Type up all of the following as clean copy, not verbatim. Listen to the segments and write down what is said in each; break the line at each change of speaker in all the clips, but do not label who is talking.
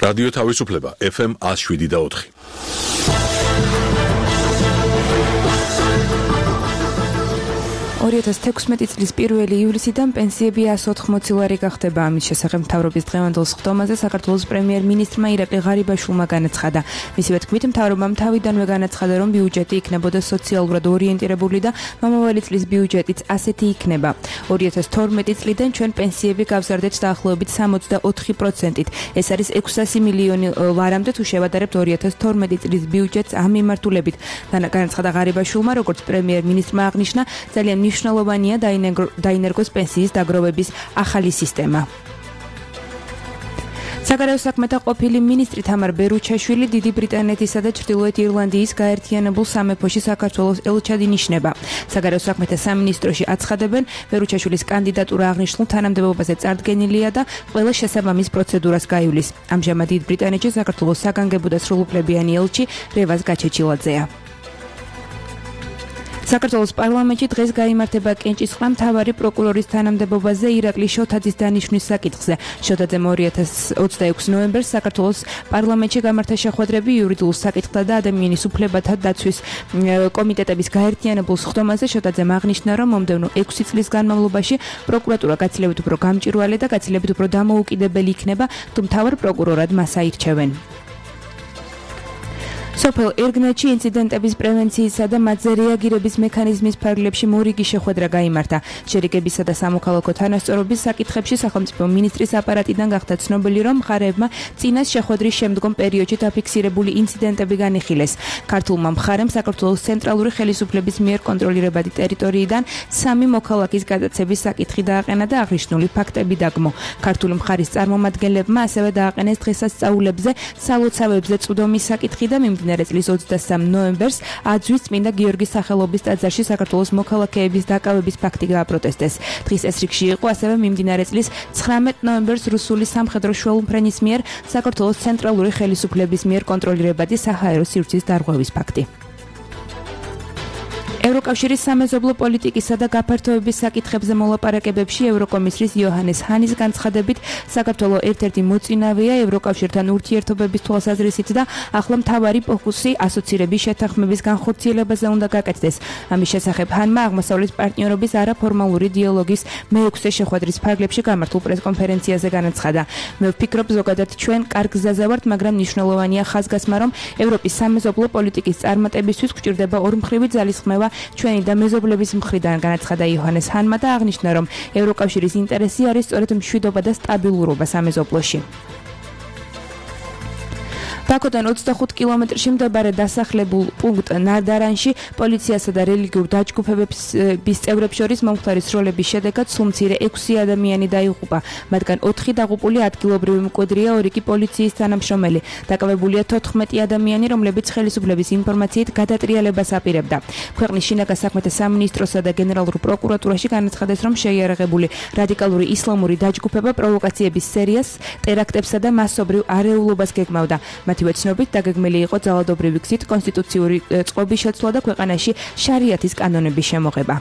რადიო თავისუფლება FM 107.4.
Orietas 16 წლის 1 ივლისიდან პენსიები 180 ლარი გახდება. ამის შესახებ მთავრობის დღევანდელ სხდომაზე საქართველოს პრემიერ-მინისტრმა ირაკლი ღარიბაშვილმა განაცხადა. მისივე თქმით, მთავრობამ თავიდანვე განაცხადა, რომ ბიუჯეტი იქნებოდა სოციალურად ორიენტირებული და მომავალი წლის ბიუჯეტიც ასეთი იქნება. 2012 წლიდან ჩვენ პენსიები გავზარდეთ დაახლოებით 64%-ით. ეს არის 600 მილიონი ლარამდე თუ შევადარებთ 2012 წლის ბიუჯეტს ამ მიმართულებით. განაცხადა ღარიბაშვილმა, როგორც პრემიერ-მინისტრმა აღნიშნა, ძალიან მნიშვნელოვანია დაინერგოს პენსიის დაგროვების ახალი სისტემა. საგარეო საქმეთა ყოფილი მინისტრი თამარ ბერუჩაშვილი დიდი ბრიტანეთისა და ჩრდილოეთ ირლანდიის გაერთიანებულ სამეფოში საქართველოს ელჩად ინიშნება. საგარეო საქმეთა სამინისტროში აცხადებენ, ბერუჩაშვილის კანდიდატურა აღნიშნულ თანამდებობაზე წარდგენილია და ყველა შესაბამის პროცედურას გაივლის. ამჟამად დიდ ბრიტანეთში საქართველოს საგანგებო და სრულუფლებიანი ელჩი რევაზ გაჩეჩილაძეა. საქართველოს პარლამენტში დღეს გაიმართება კენჭისყრა მთავარი პროკურორის თანამდებობაზე ირაკლი შოთაძის დანიშვნის საკითხზე. შოთაძემ 2026 ნოემბერს საქართველოს პარლამენტში გამართა შეხვედრები იურიდიულ საკითხთა და ადამიანის უფლებათა დაცვის კომიტეტების გაერთიანებულ სხდომაზე. შოთაძემ აღნიშნა, რომ მომდევნო 6 წლის განმავლობაში პროკურატურა გაცილებით უფრო გამჭვირვალე და გაცილებით უფრო დამოუკიდებელი იქნება, თუ მთავარ პროკურორად მას აირჩევენ. სოფელ ერგნეთში ინციდენტების პრევენციისა და მათზე რეაგირების მექანიზმის ფარგლებში მორიგი შეხვედრა გაიმართა. შერიგებისა და სამოქალაქო თანასწორობის საკითხებში სახელმწიფო მინისტრის აპარატიდან გახდა ცნობილი, რომ მხარეებმა წინას შეხვედრის შემდგომ პერიოდში დაფიქსირებული ინციდენტები განიხილეს. ქართულმა მხარემ საქართველოს ცენტრალური ხელისუფლების მიერ კონტროლირებადი ტერიტორიიდან 3 მოქალაქის გადაცემის საკითხი დააყენა და აღნიშნული ფაქტები დაგმო. ქართული მხარის წარმომადგენლებმა ასევე დააყენეს დღესასწაულებზე, სალოცავებზე წვდომის საკითხი და მიმდინარე წლის 23 ნოემბერს აძვის წმინდა გიორგის სახელობის ტაძარში საქართველოს მოქალაქეების დაკავების ფაქტი გააპროტესტეს. დღის ეს რიგში იყო ასევე მიმდინარე წლის 19 ნოემბერს რუსული სამხედრო შუალუფრენის მიერ საქართველოს ცენტრალური ხელისუფლების მიერ კონტროლირებადი საჰაერო სივრცის დარღვევის ფაქტი. ევროკავშირის სამეზობლო პოლიტიკისა და გაფართოების საკითხებზე მოლაპარაკებებში ევროკომისრის იოჰანეს ჰანის განცხადებით საქართველო ერთ-ერთი მოწინავეა ევროკავშირთან ურთიერთობების თვალსაზრისით და ახლა მთავარი ფოკუსი ასოცირების შეთანხმების განხორციელებაზე უნდა გაკეთდეს. ამის შესახებ ჰანმა აღმოსავლეთ პარტნიორობის არაფორმალური დიალოგის მე-6 შეხვედრის ფარგლებში გამართულ პრესკონფერენციაზე განაცხადა. მე ვფიქრობ, ზოგადად ჩვენ კარგ გზაზე ვართ, მაგრამ მნიშვნელოვანია ხაზგასმა, რომ ევროპის სამეზობლო პოლიტიკის წარმატებისთვის გვჭირდება ორმხრივი ძალისხმევა ჩვენი და მეზობლების მხრიდან, განაცხადა იოჰანეს ჰანმა და აღნიშნა, რომ ევროკავშირის ინტერესი არის სწორედ მშვიდობა და სტაბილურობა სამეზობლოში. ბაქოდან 25 კილომეტრში მდებარე დასახლებულ პუნქტ ნარდარანში პოლიციასა და რელიგიურ დაჯგუფებების წევრებს შორის მომხდარი სროლების შედეგად სულ მცირე 6 ადამიანი დაიღუპა. მათგან 4 დაღუპული ადგილობრივი მკვიდრია, 2 კი პოლიციის თანამშრომელი. დაკავებულია 14 ადამიანი, რომლებიც ხელისუფლების ინფორმაციით გადატრიალებას აპირებდა. ქვეყნის შინაგან საქმეთა სამინისტროსა და გენერალურ პროკურატურაში განაცხადეს, რომ შეიარაღებული რადიკალური ისლამური დაჯგუფება პროვოკაციების სერიას, ტერაქტებსა და მასობრივ არეულობას გეგმავდა. მათივე ცნობით დაგეგმილი იყო ძალადობრივი გზით კონსტიტუციური წყობის შეცვლა და ქვეყანაში შარიათის კანონების შემოღება.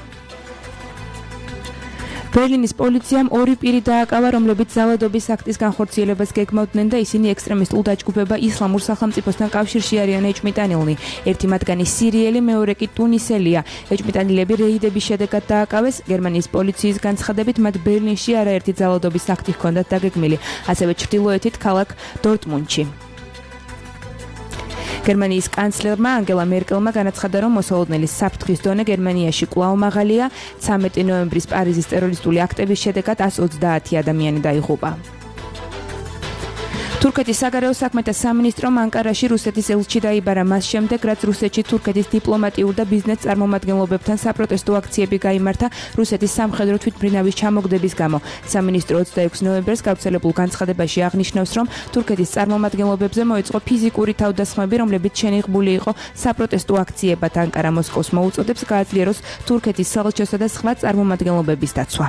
ბერლინის პოლიციამ 2 პირი დააკავა, რომლებიც ძალადობის აქტის განხორციელებას გეგმავდნენ და ისინი ექსტრემისტულ დაჯგუფება ისლამურ სახელმწიფოსთან კავშირში არიან ეჭმიტანილნი. ერთი მათგანი სირიელი, მეორე კი ტუნისელია. ეჭმიტანილები რეიდების შედეგად დააკავეს. გერმანიის პოლიციის განცხადებით, მათ ბერლინში არაერთი ძალადობის აქტი ჰქონდათ დაგეგმილი, ასევე ჩრდილოეთით ქალაქ დორტმუნდში. გერმანიის კანცლერმა ანგელა მერკელმა განაცხადა, რომ მოსალოდნელის საფრთხის დონე გერმანიაში კვლავ მაღალია. 13 ნოემბრის პარიზის ტერორისტული აქტების შედეგად 130 ადამიანი დაიღუპა. თურქეთის საგარეო საქმეთა სამინისტრომ ანკარაში რუსეთის ელჩი დაიბარა მას შემდეგ, რაც რუსეთში თურქეთის დიპლომატიურ და ბიზნეს წარმომადგენლობებთან საპროტესტო აქციები გაიმართა რუსეთის სამხედრო თვითმფრინავის ჩამოგდების გამო. სამინისტრო 26 ნოემბერს გავრცელებულ განცხადებაში აღნიშნავს, რომ თურქეთის წარმომადგენლობებზე მოეწყო ფიზიკური თავდასხმები, რომლებიც შენიღბული იყო საპროტესტო აქციებად. ანკარა მოსკოვს მოუწოდებს გააძლიეროს თურქეთის საელჩოსა და სხვა წარმომადგენლობების დაცვა.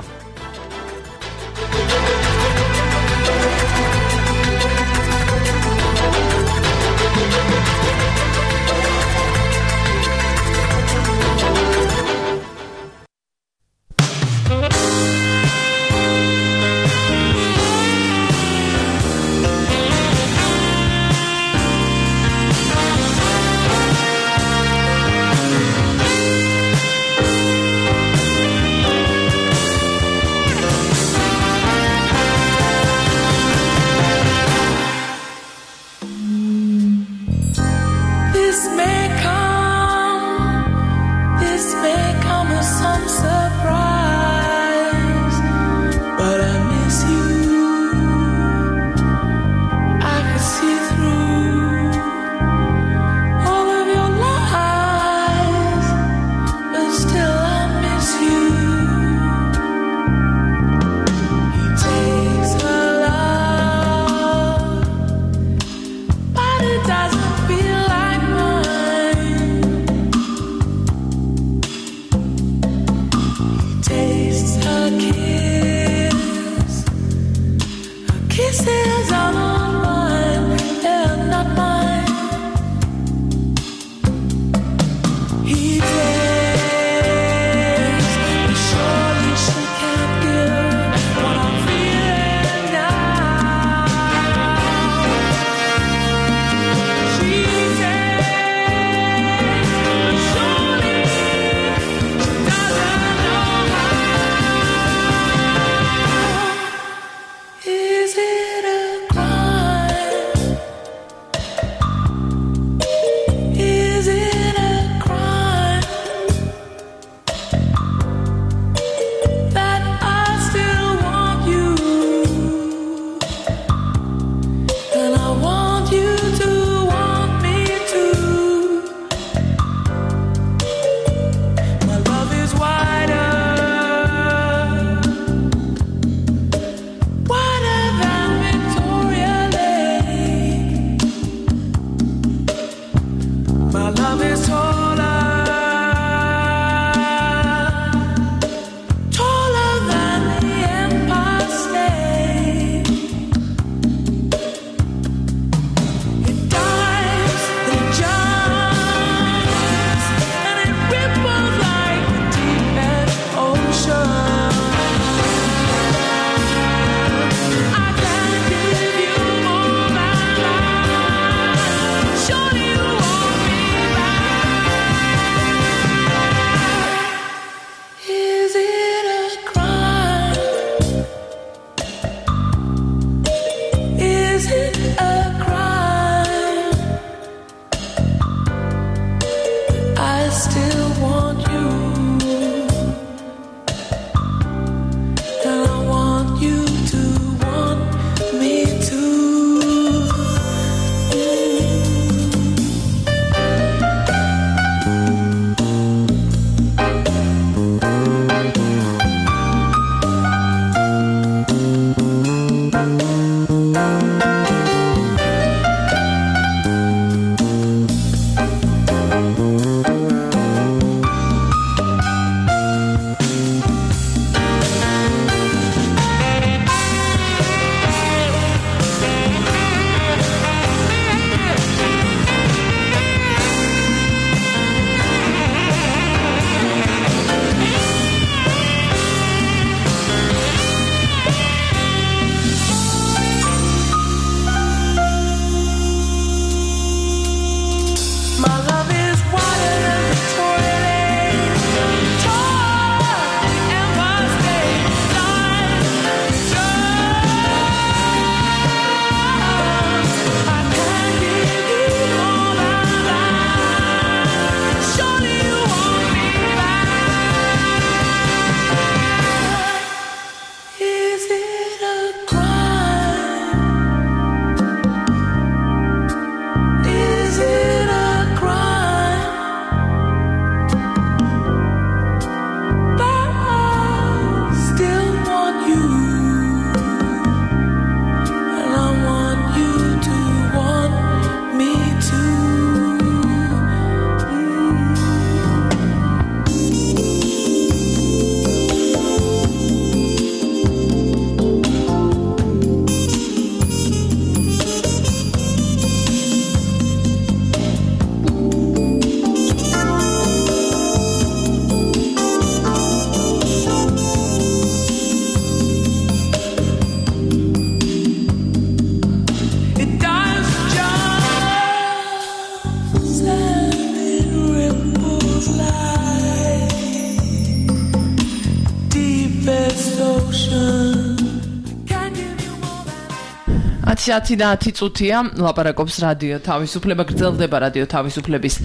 10 წუთია ლაპარაკობს რადიო თავისუფლება, გრძელდება რადიო თავისუფლების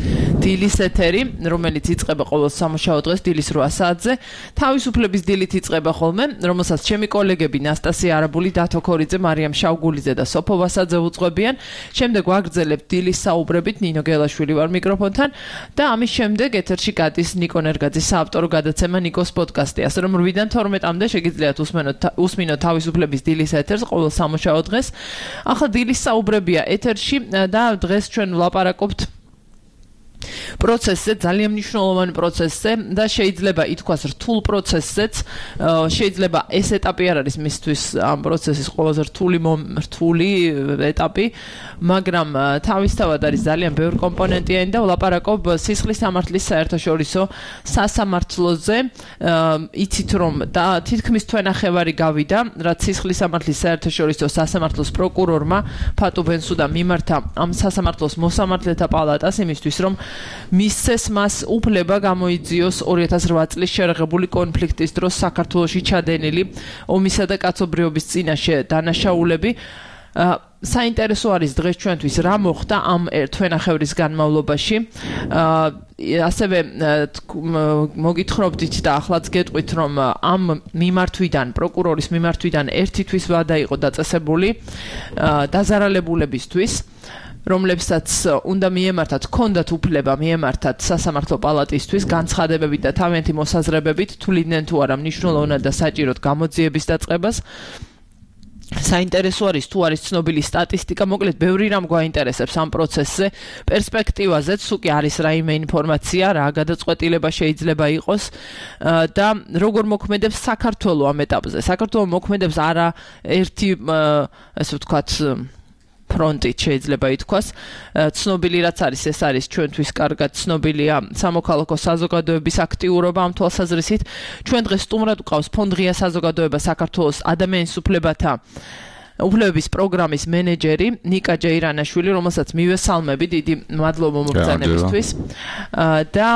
დილის ეთერი, რომელიც იწყება ყოველ სამუშაო დღეს დილის 8 საათზე. თავისუფლების დილით იწყება ხოლმე, რომელსაც ჩემი კოლეგები ნასტასია არაბული, დათო ქორიძე, მარიამ შავგულიძე და სოფო ვასაძე უძღვებიან. შემდეგ ვაგრძელებთ დილის საუბრებით, ნინო გელაშვილი ვარ მიკროფონთან და ამის შემდეგ ეთერში გადის ნიკო ნერგაძის საავტორო გადაცემა ნიკოს პოდკასტი. ასე რომ 8-დან 12-მდე შეგიძლიათ უსმინოთ თავისუფლების დილის ეთერს ყოველ სამუშაო დღეს. ახლა დილის საუბრებია ეთერში და დღეს ჩვენ ვლაპარაკობთ პროცესზე, ძალიან მნიშვნელოვან პროცესზე და შეიძლება ითქვას რთულ პროცესზეც, შეიძლება ეს ეტაპი არ არის მისთვის ამ პროცესის ყველაზე რთული ეტაპი, მაგრამ თავისთავად არის ძალიან ბევრი კომპონენტიანი და ვლაპარაკობ სისხლის სამართლის საერთაშორისო სასამართლოზე. იცით რომ და თითქმის თვენახევარი გავიდა, რაც სისხლის სამართლის საერთაშორისო სასამართლოს პროკურორმა ფატუ ბენსუდამ მიმართა ამ სასამართლოს მოსამართლეთა პალატას იმისთვის, რომ მისცეს მას უფლება გამოიძიოს 2008 წლის შერეღებული კონფლიქტის დროს საქართველოში ჩადენილი ომისა და კაცობრიობის წინაშე დანაშაულები. საინტერესო არის დღეს ჩვენთვის რა მოხდა ამ თვენახევრის განმავლობაში. ასევე მოგითხრობდით და ახლაც გეტყვით, რომ ამ მიმართვიდან, პროკურორის მიმართვიდან ერთი თვის ვადა იყო დაწესებული დაზარალებულებისთვის, რომლებსაც უნდა მიემართათ, ჰქონდათ უფლება მიემართათ სასამართლო პალატისთვის განცხადებებით და თავიანთი მოსაზრებებით, თვლიდნენ თუ არა მნიშვნელოვნად და საჭიროდ გამოძიების დაწყებას. საინტერესო არის თუ არის ცნობილი სტატისტიკა, მოკლედ ბევრი რამ გვაინტერესებს ამ პროცესზე, პერსპექტივაზეც უკვე არის რაიმე ინფორმაცია, რა გადაწყვეტილება შეიძლება იყოს და როგორ მოქმედებს საქართველო ამ ეტაპზე. საქართველო მოქმედებს არა ერთი, ასე ვთქვათ, ფრონტით შეიძლება ითქვას. ცნობილი რაც არის, ეს არის ჩვენთვის კარგად ცნობილია სამოქალაქო საზოგადოების აქტიურობა ამ თვალსაზრისით. ჩვენ დღეს სტუმრად ვყავს ფონდღია საზოგადოება საქართველოს ადამიანის უფლებების პროგრამის მენეჯერი ნიკა ჯეირანაშვილი, რომელსაც მივესალმები, დიდი მადლობა მობრძანებისთვის. და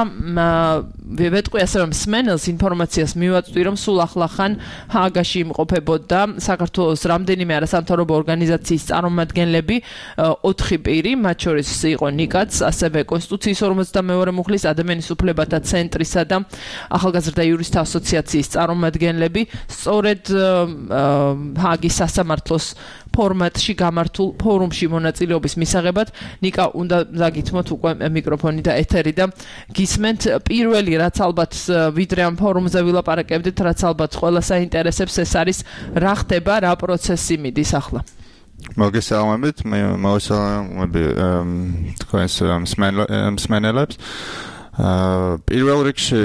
ვეტყვი ასე რომ სმენელს ინფორმაციას მივაწვდი, რომ სულ ახლახან ჰააგაში იმყოფებოდა საქართველოს რამდენიმე არასამთავრობო ორგანიზაციის წარმომადგენლები, 4 პირი, მათ შორის იყო ნიკაც, ასევე კონსტიტუციის 52 მუხლის ადამიანის უფლებათა ცენტრისა და ახალგაზრდა იურისტთა ასოციაციის წარმომადგენლები, სწორედ ჰააგის სასამართლოს ფორმატში გამართულ ფორუმში მონაწილეობის მისაღებად. ნიკა, უნდა დაგითმოთ უკვე მიკროფონი და ეთერი და გისმენთ. პირველი რაც ალბათ ვიდრე ამ ფორუმზე ვილაპარაკებდით, რაც ალბათ ყველას აინტერესებს, ეს არის რა ხდება, რა პროცესი მიდის ახლა.
მოგესალმებით, მოვესალმები თქვენს მსმენელებს. პირველ რიგში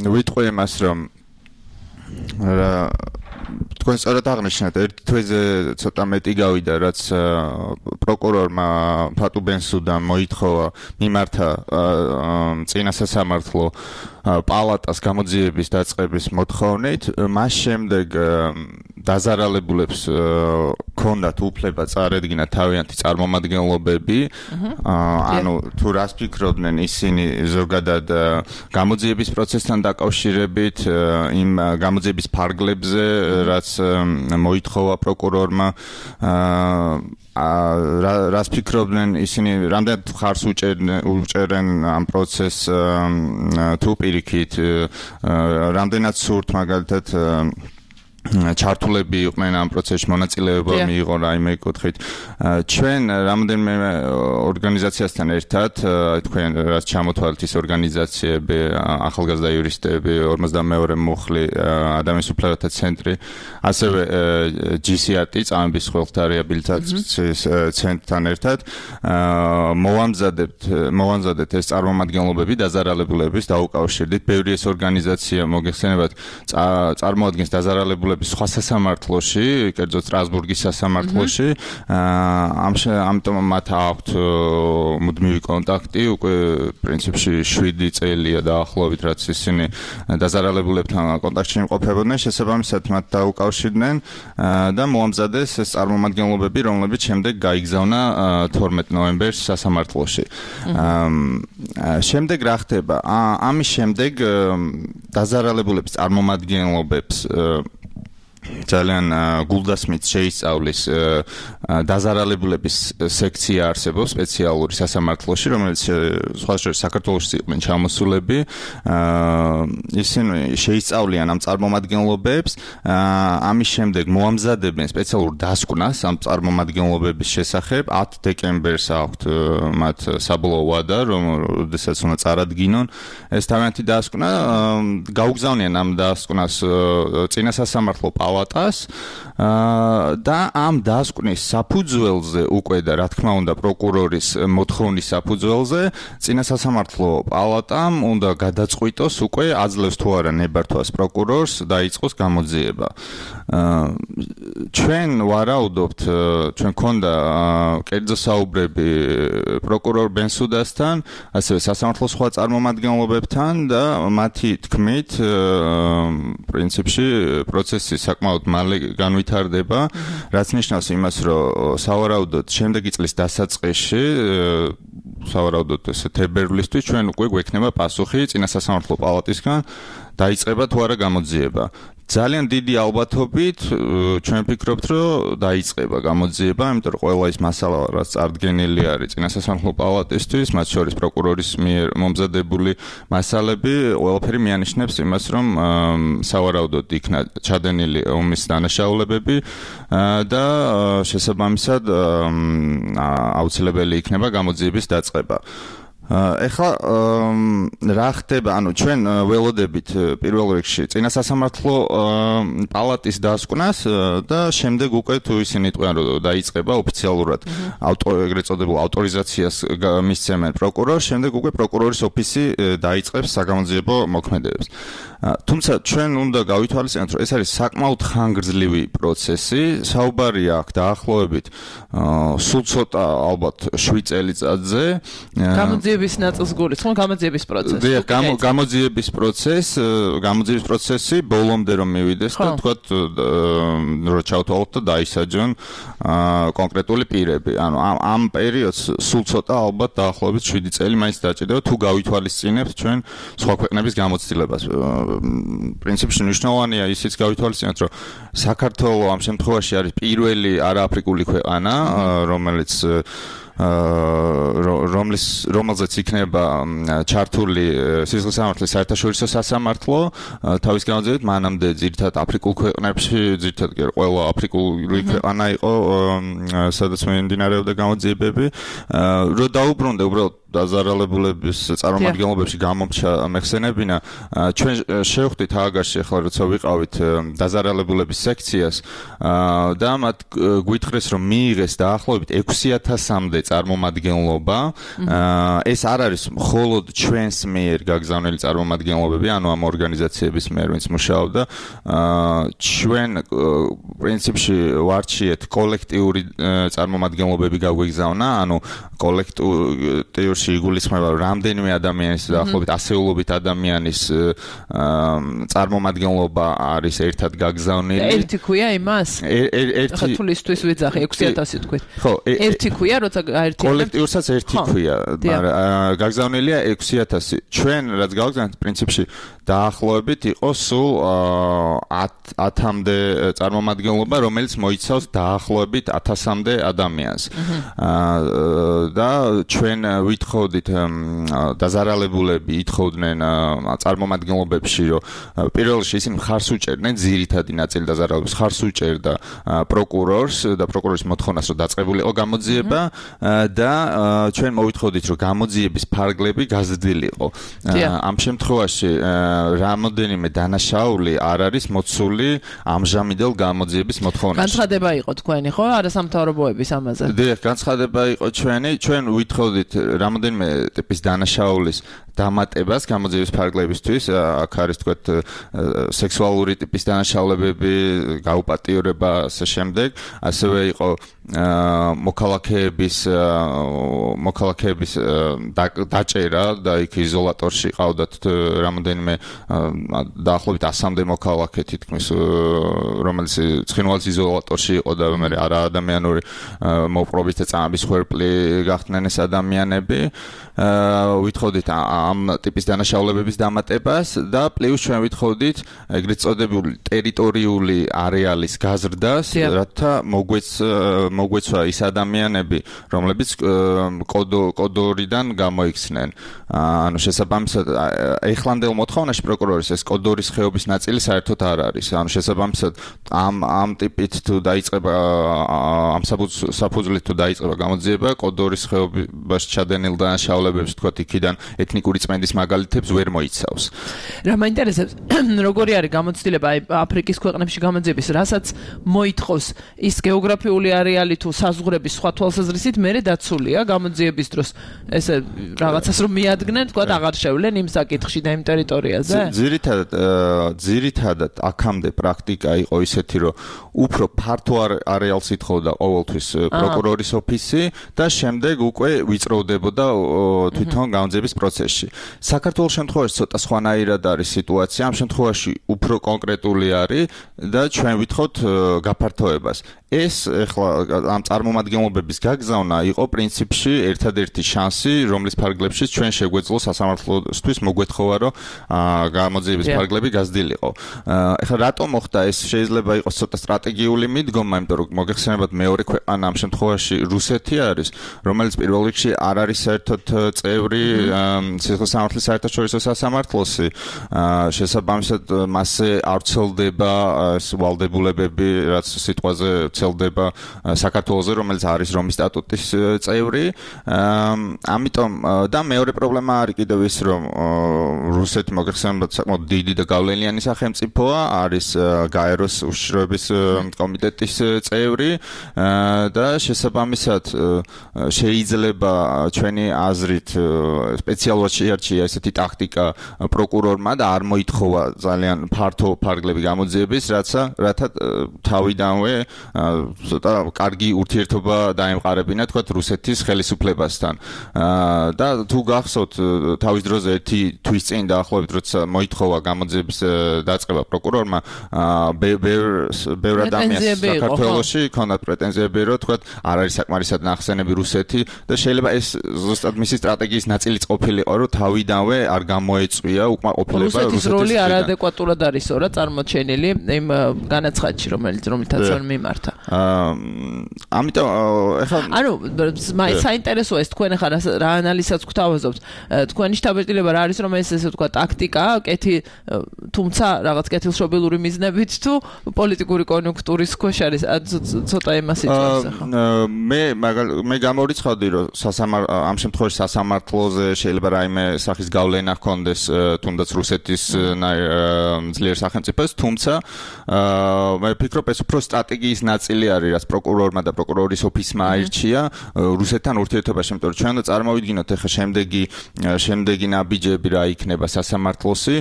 ვიტყვი იმას, რომ თქვენ სწორად აღნიშნეთ, ერთ თვეზე ცოტა მეტი გავიდა, რაც პროკურორმა ფატუ ბენსუდამ მოითხოვა მიმართა წინა სასამართლო პალატას გამოძიების დაწყების მოთხოვნით. მას შემდეგ დაზარალებულებს ჰქონდათ უფლება წარედგინათ თავიანთი წარმომადგენლობები. ანუ თუ რას ფიქრობდნენ ისინი ზოგადად გამოძიების პროცესთან დაკავშირებით, იმ გამოძიების ფარგლებზე, რაც მოითხოვა პროკურორმა, რას ფიქრობდნენ ისინი, რამდენად ხარს უჭერენ ამ პროცესს, თუ პირიქით, რამდენად სურთ მაგალითად ჩართულები იყვნენ ამ პროცესში, მონაწილეობა მიიღო რაიმე კუთხით. ჩვენ რამდენიმე ორგანიზაციასთან ერთად, თქვენ რაც ჩამოთვალეთ ის ორგანიზაციები, ახალგაზრდა იურისტები, 52 მუხლი, ადამიანის უფლებათა ცენტრი, ასევე GCRT, წამების ხველთა რეაბილიტაციის ცენტრთან ერთად მოვამზადებთ ეს წარმომადგენლობები დაზარალებულების დაუკავშირდით. ბევრი ეს ორგანიზაცია მოგეხსენებათ წარმოადგენს დაზარალებულების სხვა სასამართლოში, კერძოდ სტრასბურგის სასამართლოში. ამიტომ მათ აქვთ მუდმივი კონტაქტი, უკვე პრინციპში 7 წელია დაახლოებით, რაც ისინი დაზარალებულებთან კონტაქტში იმყოფებოდნენ, შესაბამისად მათ დაუკავშირდნენ და მოამზადეს ეს წარმომადგენლობები, რომლებიც შემდეგ გაიგზავნა 12 ნოემბერს სასამართლოში. შემდეგ რა ხდება? ამის შემდეგ დაზარალებულების წარმომადგენლობებს ძალიან გულდასმით შეისწავლის დაზარალებულების სექცია არსებობს სპეციალური სასამართლოში, რომელიც სხვა შორის საქართველოში იყვნენ ჩამოსულები. ისინი შეისწავლიან ამ წარმომადგენლობებს, ამის შემდეგ მოამზადებენ სპეციალურ დასკვნას ამ წარმომადგენლობების შესახებ. 10 დეკემბერს აქვთ მათ საბოლოო ვადა, როდესაც უნდა წარადგინონ ეს თავიანთი დასკვნა. გაუგზავნიან ამ დასკვნას წინა სასამართლო პალატას და ამ დასკვნის საფუძველზე უკვე და რა თქმა უნდა პროკურორის მოთხოვნის საფუძველზე წინა სასამართლო პალატამ უნდა გადაწყვიტოს უკვე აძლევს თუ არა ნებართვას პროკურორს დაიწყოს გამოძიება. ჩვენ ვარაუდობთ, ჩვენ ქონდა კერძო საუბრები პროკურორ ბენსუდასთან, ასევე სასამართლოს სხვა წარმომადგენლობებთან და მათი თქმით პრინციპში პროცესი საკმაოდ მალე განვითარდება, რაც ნიშნავს იმას, რომ სავარაუდოდ შემდეგი წლის დასაწყისში სავარაუდოდ ესე თებერვლისთვის ჩვენ უკვე გვექნება პასუხი წინა სასამართლო პალატისგან დაიწყება თუ არა გამოძიება. ძალიან დიდი ალბათობით ჩვენ ვფიქრობთ, რომ დაიწყება გამოძიება, იმიტომ რომ ყველა ის მასალა, რაც წარდგენილი არის წინა სასამართლო პალატისთვის, მათ შორის პროკურორის მიერ მომზადებული მასალები, ყველაფერი მიანიშნებს იმას, რომ სავარაუდოდ იქნა ჩადენილი ომის დანაშაულებები და შესაბამისად აუცილებელი იქნება გამოძიების დაწყება. ეხლა რა ხდება, ანუ ჩვენ ველოდებით პირველ რიგში წინა სასამართლო პალატის დასკვნას და შემდეგ უკვე თუ ისინი იტყვიან რომ დაიწყება ოფიციალურად ეგრეთ წოდებულ ავტორიზაციას მისცემენ პროკურორს, შემდეგ უკვე პროკურორის ოფისი დაიწყებს საგამოძიებო მოქმედებებს. თუმცა ჩვენ უნდა გავითვალისწინოთ, რომ ეს არის საკმაოდ ხანგრძლივი პროცესი, საუბარია აქ დაახლოებით სულ ცოტა ალბათ 7 წელიწადზე.
გამოძიების ნაწილს გულისხმობ გამოძიების პროცესი.
დიახ, გამოძიების პროცესი ბოლომდე რომ მივიდეს და თქვათ რომ ჩავთვალოთ და დაისაჯონ კონკრეტული პირები. ანუ ამ პერიოდს სულ ცოტა ალბათ დაახლოებით 7 წელი მაინც დაჭირდება თუ გავითვალისწინებთ ჩვენ სხვა ქვეყნების გამოცდილებას. პრინციპში მნიშვნელოვანია ისიც გავითვალისწინოთ, რომ საქართველო ამ შემთხვევაში არის პირველი არააფრიკული ქვეყანა, რომელზეც იქნება ჩართული სისხლის სამართლის საერთაშორისო სასამართლო, თავის გამოძიებით მანამდე ძირითადად აფრიკულ ქვეყნებში, ძირითადად ყველა აფრიკული ქვეყანა იყო, სადაც მიმდინარეობდა გამოძიებები, რომ დაუბრუნდა უბრალოდ დაზარალებულების წარმომადგენლობებში გამომჩა მეხსენებინა, ჩვენ შევხვდით ააგარში ახლა როცა ვიყავით დაზარალებულების სექციას და მათ გვითხრეს რომ მიიღეს დაახლოებით 6000-მდე წარმომადგენლობა. ეს არ არის მხოლოდ ჩვენს მიერ გაგზავნილი წარმომადგენლობები, ანუ ამ ორგანიზაციების მიერ, ვინც მუშაობდა. ჩვენ პრინციპში ვარჩიეთ კოლექტიური წარმომადგენლობები გაგვიგზავნა, ანუ კოლექტივში იგულისხმება რამდენიმე ადამიანის დაახლოებით ასეულობით ადამიანის წარმომადგენლობა არის ერთად გაგზავნილი.
ერთი ქვია იმას? ხა თულისთვის ვიძახი 6000 თქვით.
ხო,
ერთი ქვია, როცა გაერთიანებთ
კოლექტივსაც ერთი ქვია, მაგრამ გაგზავნილია 6000. ჩვენ რაც გავგზავნეთ პრინციპში დაახლოებით იყო სულ 10-მდე წარმომადგენლობა, რომელიც მოიცავს დაახლოებით 1000-მდე ადამიანს. და ჩვენ ვითხოვდით დაზარალებულები ითხოვდნენ წარმომადგენლობებში, რომ პირველ რიგში ისინი მხარს უჭერდნენ ძირითადი ნაწილი დაზარალებულების მხარს უჭერდა პროკურორს და პროკურორის მოთხოვნას, რომ დაწყებულიყო გამოძიება და ჩვენ მოვითხოვდით, რომ გამოძიების ფარგლები გაზრდილიყო. ამ შემთხვევაში რამოდენიმე დანაშაული არ არის მოცული ამჟამინდელ გამოძიების მოთხოვნაში.
განცხადება იყო თქვენი, ხო? არასამთავრობოების ამაზე.
დიახ, განცხადება იყო ჩვენ ვითხოვდით რამოდენიმე ტიპის დანაშაულის დამატებას გამოძიების ფარგლებისთვის, აქ არის თქვათ სექსუალური ტიპის დანაშაულებები, გაუპატიურება ასე შემდეგ, ასევე იყო მოქალაქეების დაჭერა და იქ იზოლატორში ყავდათ რამოდენიმე დაახლოებით 100-მდე მოქალაქე თითქმის, რომელიც ცხინვალის იზოლატორში იყო და მე არაადამიანური მოპყრობის და წამების ხვერპლი გახდნენ ეს ადამიანები. ვითხოვდით ამ ტიპის დანაშაულებების დამატებას და პლუს ჩვენ ვითხოვდით ეგრეთ წოდებული ტერიტორიული არეალის გაზრდას, რათა მოგვეცვა ის ადამიანები, რომლებიც კოდორიდან გამოიქცნენ. ანუ შესაბამისად ეხლანდელ მოთხოვნაში პროკურორის ეს კოდორის ხეობის ნაწილი საერთოდ არ არის. ანუ შესაბამისად ამ ტიპით თუ დაიწყება ამ საფუძვლით თუ დაიწყება გამოძიება კოდორის ხეობაში ჩადენილ დანაშაულებებს თქვათ იქიდან ეთნიკური წმენდის მაგალითებს ვერ მოიცავს.
რა მაინტერესებს როგორი არის გამოცდილება აი აფრიკის ქვეყნებში გამოძიების, რასაც მოითხოვს ის გეოგრაფიული არეალი თუ საზღვრების სხვა თვალსაზრისით მერე დაცულია გამოძიების დროს ესე რაღაცას რომ მიადგნენ თქვათ აღარ შევლენ იმ საკითხში და იმ ტერიტორიაზე?
ძირითადად აქამდე პრაქტიკა იყო ისეთი რომ უფრო ფართო არეალს ითხოვდა ყოველთვის პროკურორის ოფისი და შემდეგ უკვე ვიწროვდებოდა თვითონ გამოძიების პროცესში. საქართველოს შემთხვევაში ცოტა სხვანაირად არის სიტუაცია. ამ შემთხვევაში უფრო კონკრეტული არის და ჩვენ ვითხოვთ გაფართოებას. ეს ეხლა ამ წარმომადგენლობების გაგზავნა იყო პრინციპში ერთადერთი შანსი, რომლის ფარგლებშიც ჩვენ შეგვეძლო სასამართლოსთვის მოგვეთხოვა, რომ გამოძიების ფარგლები გაზრდილიყო. ეხლა რატომ მოხდა ეს? შეიძლება იყოს ცოტა სტრატეგიული მიდგომა, იმიტომ რომ მოგეხსენებათ მეორე ქვეყანა ამ შემთხვევაში რუსეთი არის, რომელიც პირველ რიგში არ არის საერთოდ წევრი სიხე-სამართლის საერთაშორისო სასამართლოსი. შესაბამისად მასზე არ ვრცელდება ვალდებულებები, რაც სიტყვაზე ვრცელდება საქართველოზე, რომელიც არის რომის სტატუტის წევრი. ამიტომ და მეორე პრობლემა არის კიდევ ის, რომ რუსეთი მოგეხსენებათ საკმაოდ დიდი და გავლენიანი სახელმწიფოა, არის გაეროს უშიშროების კომიტეტის წევრი და შესაბამისად შეიძლება ჩვენი აზრით სპეციალურად შეარჩია ესეთი ტაქტიკა პროკურორმა და არ მოითხოვა ძალიან ფართო ფარგლები გამოძიების, რათა თავიდანვე ცოტა კარგი ურთიერთობა დაემყარებინა თქვათ რუსეთის ხელისუფლებასთან. და თუ გახსოვთ თავის დროზე ერთი თვის წინ დაახლოებით როცა მოითხოვა გამოძიების დაწყება პროკურორმა, ბევრ ადამიანს საქართველოში ჰქონდა პრეტენზიები, რომ თქვათ არ არის საკმარისად ნახსენები რუსეთი და შეიძლება ეს ზუსტად მისი სტრატეგიის ნაწილიც ყოფილიყო, რომ თავიდანვე არ გამოეწვია უკმაყოფილება
რუსეთის როლი არადეკვატურად არისო რა წარმოჩენილი იმ განაცხადში, რომელთაც მიმართა.
ამიტომ ეხლა
ანუ საინტერესოა ეს თქვენ ახლა რა ანალიზსაც გვთავაზობთ. თქვენი შთაბეჭდილება რა არის, რომ ეს ესე ვთქვა ტაქტიკაა, თუმცა რაღაც კეთილშობილური მიზნებით თუ პოლიტიკური კონიუნქტურის ქვეშ არის ცოტა იმას იწევს ახლა.
მე გამორიცხავდი, რომ ამ შემთხვევაში სასამართლოზე შეიძლება რაიმე სახის გავლენა ჰქონდეს თუნდაც რუსეთის ძლიერ სახელმწიფოს, თუმცა მე ვფიქრობ ეს უფრო სტრატეგიის ნაწილი არის, რაც პროკურორმა და პროკურორის ოფისმა აირჩია რუსეთთან ურთიერთობაში, იმიტომ რომ ჩვენ უნდა წარმოვიდგინოთ ახლა შემდეგი ნაბიჯები რა იქნება სასამართლოსი,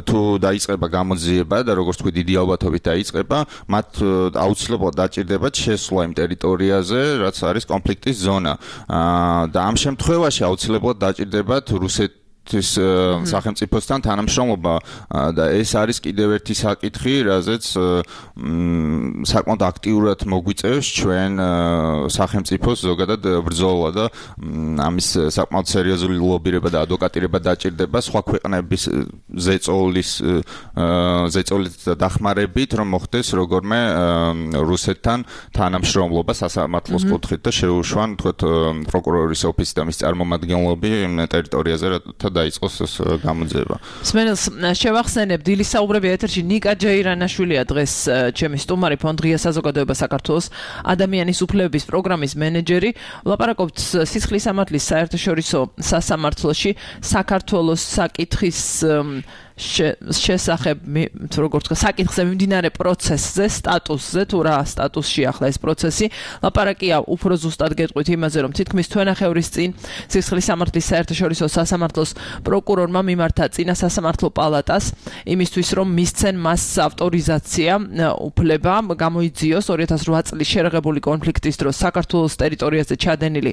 თუ დაიწყება გამოძიება და როგორც თქვი დიდი ალბათობით დაიწყება, მათ აუცილებლად დაჭირდებათ შესვლა იმ ტერიტორიაზე, რაც არის კონფლიქტის ზონა. და ამ შემთხვევაში აუცილებლად დაჭირდებათ რუსეთის სახელმწიფოსთან თანამშრომლობა და ეს არის კიდევ ერთი საკითხი, რაზეც საკმაოდ აქტიურად მოგვიწევს ჩვენ სახელმწიფოს ზოგადად ბრძოლა და ამის საკმაოდ სერიოზული ლობირება და ადვოკატირება დაჭირდება სხვა ქვეყნების ზეწოლით დახმარებით, რომ მოხდეს როგორმე რუსეთთან თანამშრომლობა სასამართლოს კუთხით და შეუშვან თქვათ პროკურორის ოფისი და მის წარმომადგენლები ტერიტორიაზე დაიწყოს ეს გამოძიება.
სმენელს შევახსენებ, დილის საუბრები ეთერში ნიკა ჯეირანაშვილია დღეს ჩემი სტუმარი, ფონდ ღია საზოგადოება საქართველოს ადამიანის უფლებების პროგრამის მენეჯერი. ვლაპარაკობთ სისხლის სამართლის საერთაშორისო სასამართლოში საქართველოს საკითხის შესახებ, როგორც თქვა, საკითხზე მიმდინარე პროცესზე, სტატუსზე, თუ რა სტატუსში ახლა ეს პროცესი. ლაპარაკია უფრო ზუსტად გეტყვით იმაზე, რომ თითქმის თვენახევრის წინ სისხლის სამართლის საერთაშორისო სასამართლოს პროკურორმა მიმართა წინა სასამართლო პალატას იმისთვის, რომ მისცენ მას ავტორიზაცია უფლება გამოიძიოს 2008 წლის შერეღებული კონფლიქტის დროს საქართველოს ტერიტორიაზე ჩადენილი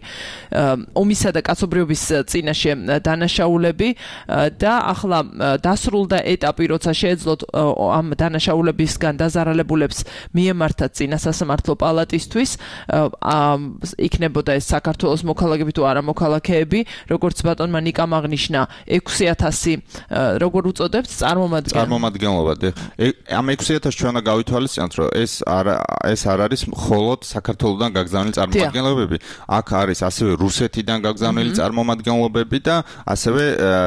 ომისა და კაცობრიობის წინაშე დანაშაულები და ახლა დასრულდა ეტაპი, როცა შეეძლოთ ამ დანაშაულებისგან დაზარალებულებს მიემართათ წინა სასამართლო პალატისთვის, იქნებოდა ეს საქართველოს მოქალაქეები თუ არა მოქალაქეები, როგორც ბატონმა ნიკამ აღნიშნა 6000 როგორ უწოდებთ
წარმომადგენლობა. ამ 6000 ჩვენ უნდა გავითვალისწინოთ, რომ ეს არ არის მხოლოდ საქართველოსდან გაგზავნილი წარმომადგენლობები. აქ არის ასევე რუსეთიდან გაგზავნილი წარმომადგენლობები და ასევე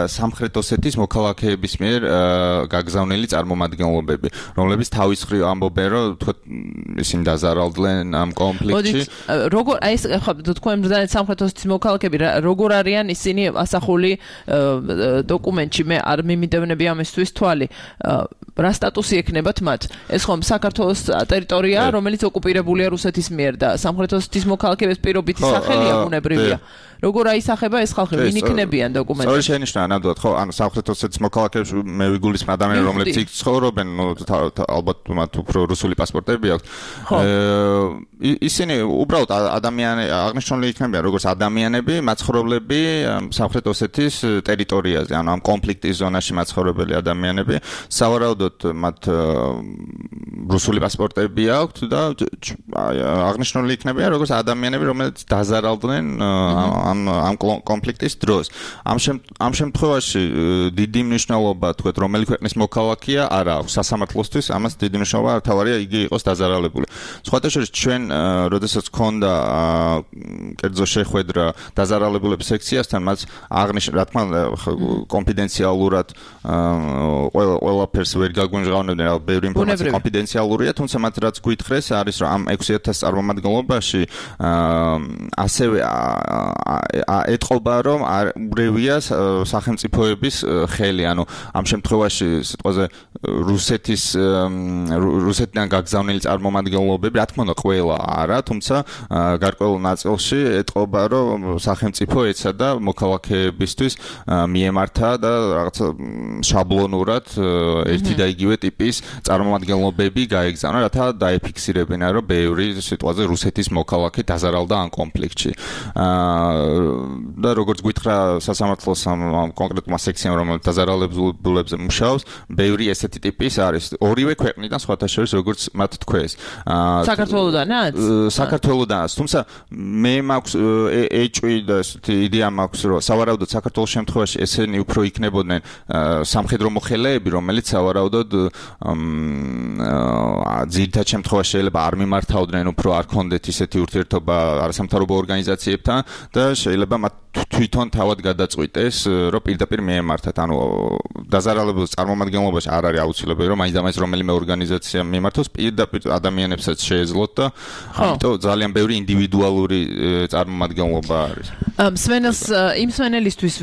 სამხრეთ ოსეთის მოქალაქეების მიერ გაგზავნილი წარმომადგენლობები, რომლებიც თავის მხრივ ამბობენ, რომ ისინი დაზარალდნენ ამ კონფლიქტში.
როგორ აი ეს ხო თქვენ ბრძანეთ სამხრეთ ოსეთის მოქალაქეები როგორ არიან ისინი ასახული დოკუმენტში, მე არ მიმიდევნები ამისთვის თვალი. რა სტატუსი ექნებათ მათ? ეს ხომ საქართველოს ტერიტორია, რომელიც ოკუპირებულია რუსეთის მიერ და სამხრეთ ოსეთის მოქალაქეების პირობითი სახელი ბუნებრივია. როგორ აისახება ეს ხალხი? ვინ იქნებიან დოკუმენტში?
სწორი შენიშნა ნამდვილად, ხო, ანუ სამხრეთ ოსეთის მოქალაქეებს მე ვიგულისხმევ ადამიანები, რომლებიც იქ ცხოვრობენ, ალბათ მათ უფრო რუსული პასპორტები აქვთ. ისინი უბრალოდ ადამიანები აღნიშნული იქნებიან, როგორც ადამიანები, მაცხოვრებლები სამხრეთ ოსეთის ტერიტორიაზე, ანუ ამ კონფლიქტის ზონაში მაცხოვრებელი ადამიანები, სავარაუდოდ მათ რუსული პასპორტები აქვთ და აღნიშნული იქნებიან, როგორც ადამიანები, რომლებიც დაზარალდნენ ამ კონფლიქტის დროს. ამ შემთხვევაში დიდი მნიშვნელობა თქვეთ, რომელი ქვეყნის მოქალაქეა არ აქვს სასამართლოსთვის, ამას დიდი მნიშვნელობა არ თავარია იგი იყოს დაზარალებული. სხვათა შორის ჩვენ როდესაც გქონდა კერძო შეხვედრა დაზარალებულების სექციასთან, მას აღნიშნა, რა თქმა უნდა, კონფიდენციალურად ყველაფერს ვერ გაგვიმჟღავნებდნენ, ბევრი ინფორმაცია კონფიდენციალურია, თუმცა მათ რაც გვითხრეს არის, რომ ამ 6000 წარმომადგენლობაში ასევე ეტყობა, რომ ურევია სახელმწიფოების ხელი, ანუ ამ შემთხვევაში სიტყვაზე რუსეთიდან გაგზავნილი წარმომადგენლობები, რა თქმა უნდა, ყველა არა, თუმცა გარკვეულ ნაწილში ეტყობა, რომ სახელმწიფო ეცადა მოქალაქეებისთვის მიემართა და რაღაც შაბლონურად ერთი და იგივე ტიპის წარმომადგენლობები გაეგზავნა, რათა დაეფიქსირებინა, რომ ბევრი სიტყვაზე რუსეთის მოქალაქე დაზარალდა ამ კონფლიქტში. და როგორც გითხრა სასამართლოს ამ კონკრეტულმა სექციამ, რომელიც დაზარალებულებზე მუშაობს, ბევრი ესეთი ტიპის არის. ორივე ქვეყნიდან სხვათა შორის, როგორც მათ თქვეს.
საქართველოდანაც?
საქართველოდანაც. თუმცა მე მაქვს ეჭვი და ესეთი იდეა მაქვს, რომ სავარაუდოდ საქართველოს შემთხვევაში ესენი უფრო იქნებოდნენ სამხედრო მოხელეები, რომელიც სავარაუდოდ ძირითად შემთხვევაში შეიძლება არ მიმართავდნენ, უფრო არ ქონდეთ ისეთი ურთიერთობა არასამთავრობო ორგანიზაციებთან და შეიძლება მათ თვითონ თავად გადაწყვიტეს, რომ პირდაპირ მიემართათ. ანუ დაზარალებულ წარმომადგენლობაში არ არის აუცილებელი, რომ მაინც რომელიმე ორგანიზაცია მიმართოს, პირდაპირ ადამიანებსაც შეეძლოთ და ამიტომ ძალიან ბევრი ინდივიდუალური წარმომადგენლობა არის.
იმ სვენელისთვის,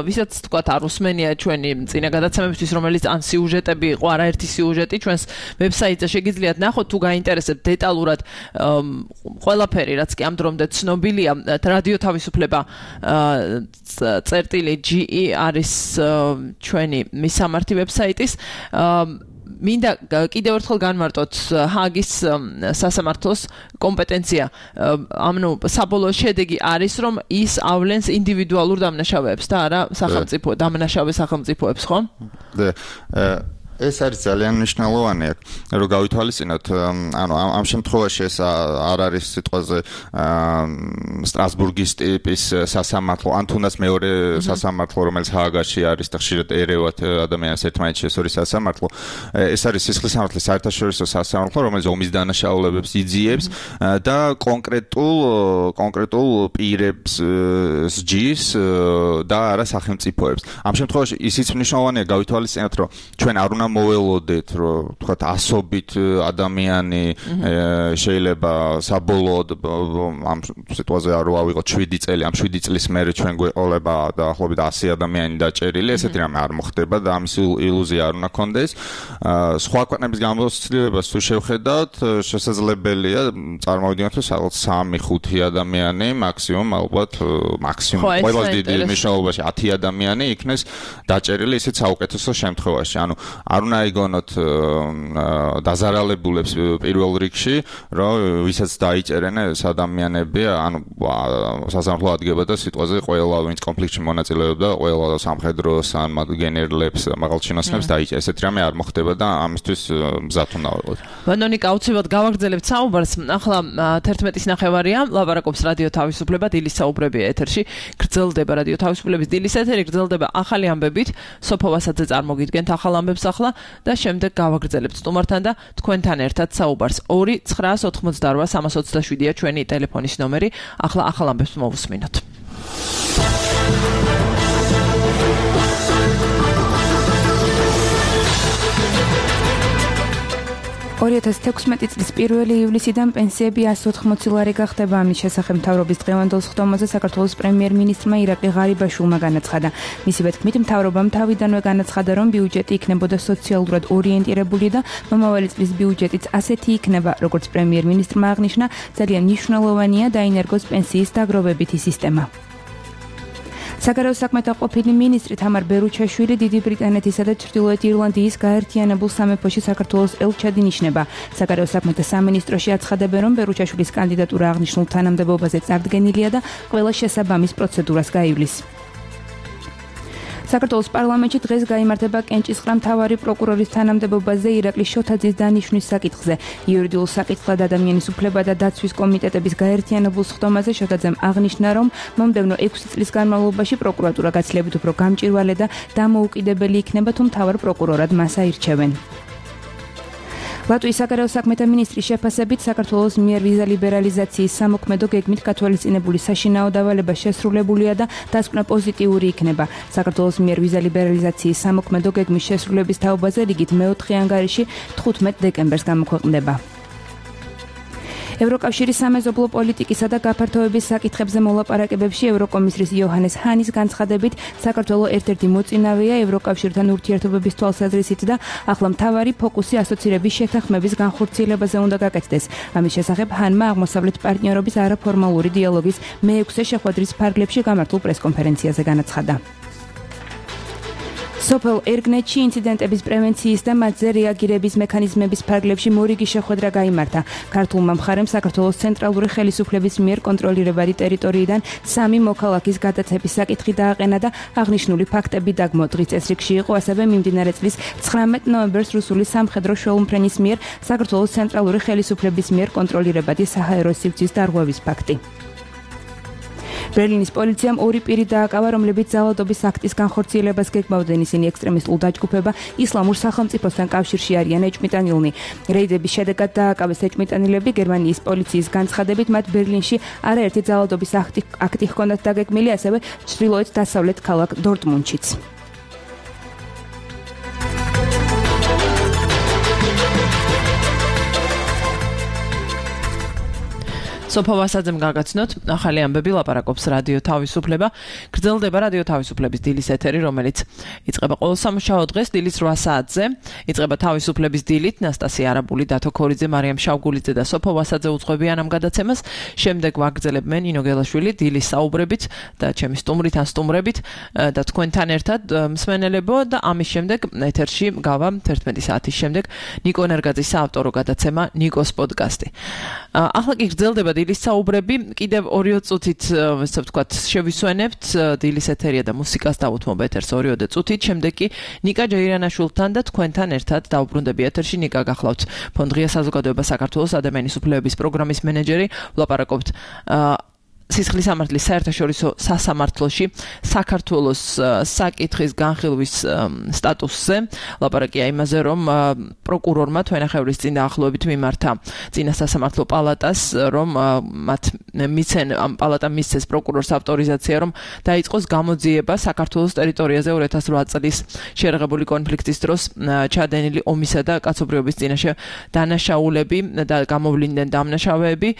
ვისაც თქვათ არ უსმენია ჩვენი წინა გადაცემებისთვის, რომელიც ან სიუჟეტები იყო, არაერთი სიუჟეტი ჩვენს ვებსაიტზე შეგიძლიათ ნახოთ, თუ გაინტერესებთ დეტალურად ყველაფერი, რაც კი ამ დრომდე ცნობილია, რადიო თავისუფლება წერტილი.ge არის ჩვენი მისამართი ვებსაიტის. მინდა კიდევ ერთხელ განმარტოთ ჰაგის სასამართლოს კომპეტენცია. ანუ საბოლოო შედეგი არის, რომ ის ავლენს ინდივიდუალურ დამნაშავეებს და არა სახელმწიფო დამნაშავე სახელმწიფოებს, ხო?
ეს არის ძალიან მნიშვნელოვანი, რომ გავითვალისწინოთ, ანუ ამ შემთხვევაში ეს არ არის სიტყვაზე სტრასბურგის ტიპის სასამართლო, ან თუნდაც მეორე სასამართლო, რომელიც ჰააგაში არის და ხშირად ერევათ ადამიანს ერთმანეთს შესორის სასამართლო. ეს არის სისხლის სამართლის საერთაშორისო სასამართლო, რომელიც ომის დანაშაულებებს იძიებს და კონკრეტულ პირებს სჯის და არა სახელმწიფოებს. ამ შემთხვევაში ისიც მნიშვნელოვანია გავითვალისწინოთ, რომ ჩვენ არ უნდა მოველოდეთ, რომ თქვათ ასობით ადამიანი შეიძლება საბოლოოდ ამ სიტუაციაზე არ ავიღოთ 7 წელი, ამ 7 წლის მერე ჩვენ გვეყოლება დაახლოებით 100 ადამიანი დაჭერილი, ესეთი რამე არ მოხდება და ამის ილუზია არ უნდა გქონდეს. სხვა ქვეყნების გამოცდილებას თუ შევხედავთ, შესაძლებელია წარმოვიდგინოთ, რომ სადღაც 3-5 ადამიანი მაქსიმუმ ყველაზე დიდი მნიშვნელობაში 10 ადამიანი იქნეს დაჭერილი, ისიც საუკეთესო შემთხვევაში. ანუ არ უნდა იგონოთ დაზარალებულებს პირველ რიგში, რომ ვისაც დაიჭერენ ეს ადამიანები, ანუ სასამართლო ადგება და სიტყვაზე ყველა ვინც კონფლიქტში მონაწილეობდა, ყველა სამხედროს ან გენერლებს, მაღალჩინოსნებს დაიჭერა. ესეთ რამე არ მოხდება და ამისთვის მზად უნდა ვიყოთ.
ვანონიკა, აუცილებლად გავაგრძელებთ საუბარს. ახლა 11-ის ნახევარია, ლაპარაკობს რადიო თავისუფლება, დილის საუბრებია ეთერში. გრძელდება რადიო თავისუფლების დილის ეთერი, გრძელდება ახალი ამბებით. სოფო ვასაძე წარმოგიდგენთ ახალ ამბებს ახლა და შემდეგ გავაგრძელებთ სტუმართან და თქვენთან ერთად საუბარს. 2-988-327-ია ჩვენი ტელეფონის ნომერი. ახლა ახალ ამბებს მოვუსმინოთ.
2016 წლის 1 ივლისიდან პენსიები 180 ლარი გახდება. ამის შესახებ მთავრობის დღევანდელ სხდომაზე საქართველოს პრემიერ-მინისტრმა ირაკლი ღარიბაშვილმა განაცხადა. მისივე თქმით, მთავრობამ თავიდანვე განაცხადა, რომ ბიუჯეტი იქნებოდა სოციალურად ორიენტირებული და მომავალი წლის ბიუჯეტიც ასეთი იქნება, როგორც პრემიერ-მინისტრმა აღნიშნა, ძალიან მნიშვნელოვანია დაინერგოს პენსიის დაგროვებითი სისტემა. საგარეო საქმეთა ყოფილი მინისტრი თამარ ბერუჩაშვილი დიდი ბრიტანეთისა და ჩრდილოეთ ირლანდიის გაერთიანებულ სამეფოში საქართველოს ელჩად ინიშნება. საგარეო საქმეთა სამინისტროში აცხადებენ, რომ ბერუჩაშვილის კანდიდატურა აღნიშნულ თანამდებობაზე წარდგენილია და ყველა შესაბამის პროცედურას გაივლის. საქართველოს პარლამენტში დღეს გაიმართება კენჭისყრა მთავარი პროკურორის თანამდებობაზე ირაკლი შოთაძის დანიშვნის საკითხზე. იურიდიულ საკითხად ადამიანის უფლებათა და დაცვის კომიტეტების გაერთიანებულ სხდომაზე შოთაძემ აღნიშნა, რომ მომდევნო 6 წლის განმავლობაში პროკურატურა გაცილებით უფრო გამჭვირვალე და დამოუკიდებელი იქნება, თუ მთავარ პროკურორად მას აირჩევენ. ლატვიის საგარეო საქმეთა მინისტრის შეფასებით საქართველოს მიერ ვიზა ლიბერალიზაციის სამოქმედო გეგმით გათვალისწინებული საშინაო დავალება შესრულებულია და დასკვნა პოზიტიური იქნება. საქართველოს მიერ ვიზა ლიბერალიზაციის სამოქმედო გეგმის შესრულების თაობაზე რიგით მეოთხე ანგარიში 15 დეკემბერს გამოქვეყნდება. ევროკავშირის სამეზობლო პოლიტიკისა და გაფართოების საკითხებზე მოლაპარაკებებში ევროკომისრის იოჰანეს ჰანის განცხადებით, საქართველო ერთ-ერთი მოწინავეა ევროკავშირთან ურთიერთობების თვალსაზრისით და ახლა მთავარი ფოკუსი ასოცირების შეთანხმების განხორციელებაზე უნდა გაკეთდეს. ამის შესახებ ჰანმა აღმოსავლეთ პარტნიორობის არაფორმალური დიალოგის მე-6 შეხვედრის ფარგლებში გამართულ პრესკონფერენციაზე განაცხადა. სოფელ ერგნეთში ინციდენტების პრევენციის და მათზე რეაგირების მექანიზმების ფარგლებში მორიგი შეხვედრა გაიმართა. ქართულმა მხარემ საქართველოს ცენტრალური ხელისუფლების მიერ კონტროლირებადი ტერიტორიიდან 3 მოქალაქის გადაცემის საკითხი დააყენა და აღნიშნული ფაქტები დაგმო. დღის წესრიგში იყო ასევე მიმდინარე წლის 19 ნოემბერს რუსული სამხედრო შოუმფრენის მიერ საქართველოს ცენტრალური ხელისუფლების მიერ კონტროლირებადი საჰაერო სივრცის დარღვევის ფაქტი. ბერლინის პოლიციამ 2 პირი დააკავა, რომლებიც ძალადობის აქტის განხორციელებას გეგმავდნენ. ისინი ექსტრემისტულ დაჯგუფება ისლამურ სახელმწიფოსთან კავშირში არიან ეჭვმიტანილნი. რეიდების შედეგად დააკავეს ეჭვმიტანილები. გერმანიის პოლიციის განცხადებით, მათ ბერლინში არაერთი ძალადობის აქტი ჰქონდათ დაგეგმილი, ასევე ჩრდილოეთ დასავლეთ ქალაქ დორტმუნდშიც.
სოფო ვასაძემ გაგაცნოთ, ახალი ამბები ლაპარაკობს რადიო თავისუფლება. გრძელდება რადიო თავისუფლების დილის ეთერი, რომელიც იწყება ყოველ სამუშაო დღეს დილის 8 საათზე. იწყება თავისუფლების დილით, ნასტასია არაბული, დათო ქორიძე, მარიამ შავგულიძე და სოფო ვასაძე უძღვებიან ამ გადაცემას. შემდეგ ვაგრძელებენ ინო გელაშვილი დილის საუბრებით და ჩემი სტუმრით ან სტუმრებით და თქვენთან ერთად მსმენელებო და ამის შემდეგ ეთერში გავა 11 საათის შემდეგ ნიკო ნერგაძის საავტორო გადაცემა ნიკოს პოდკასტი. ახლა კი გრძელდება დილის საუბრები, კიდევ 2 წუთით, ესე ვთქვათ, შევისვენებთ დილის ეთერია და მუსიკას დავუთმობ ეთერს 2 წუთით, შემდეგ კი ნიკა ჯეირანაშვილთან და თქვენთან ერთად დავბრუნდები ეთერში. ნიკა გახლავთ ფონდღია საზოგადოება საქართველოს ადამიანის უფლებების პროგრამის მენეჯერი. ვლაპარაკობთ სისხლის სამართლის საერთაშორისო სასამართლოში საქართველოს საკითხის განხილვის სტატუსზე. ლაპარაკია იმაზე, რომ პროკურორმა თვენახევრის წინ დაახლოებით მიმართა წინა სასამართლო პალატას, რომ მათ მიცენ ამ პალატამ მისცეს პროკურორს ავტორიზაცია, რომ დაიწყოს გამოძიება საქართველოს ტერიტორიაზე 2008 წლის შეერაღებული კონფლიქტის დროს ჩადენილი ომისა და კაცობრიობის წინაშე დანაშაულები და გამოვლინდნენ დამნაშავეები.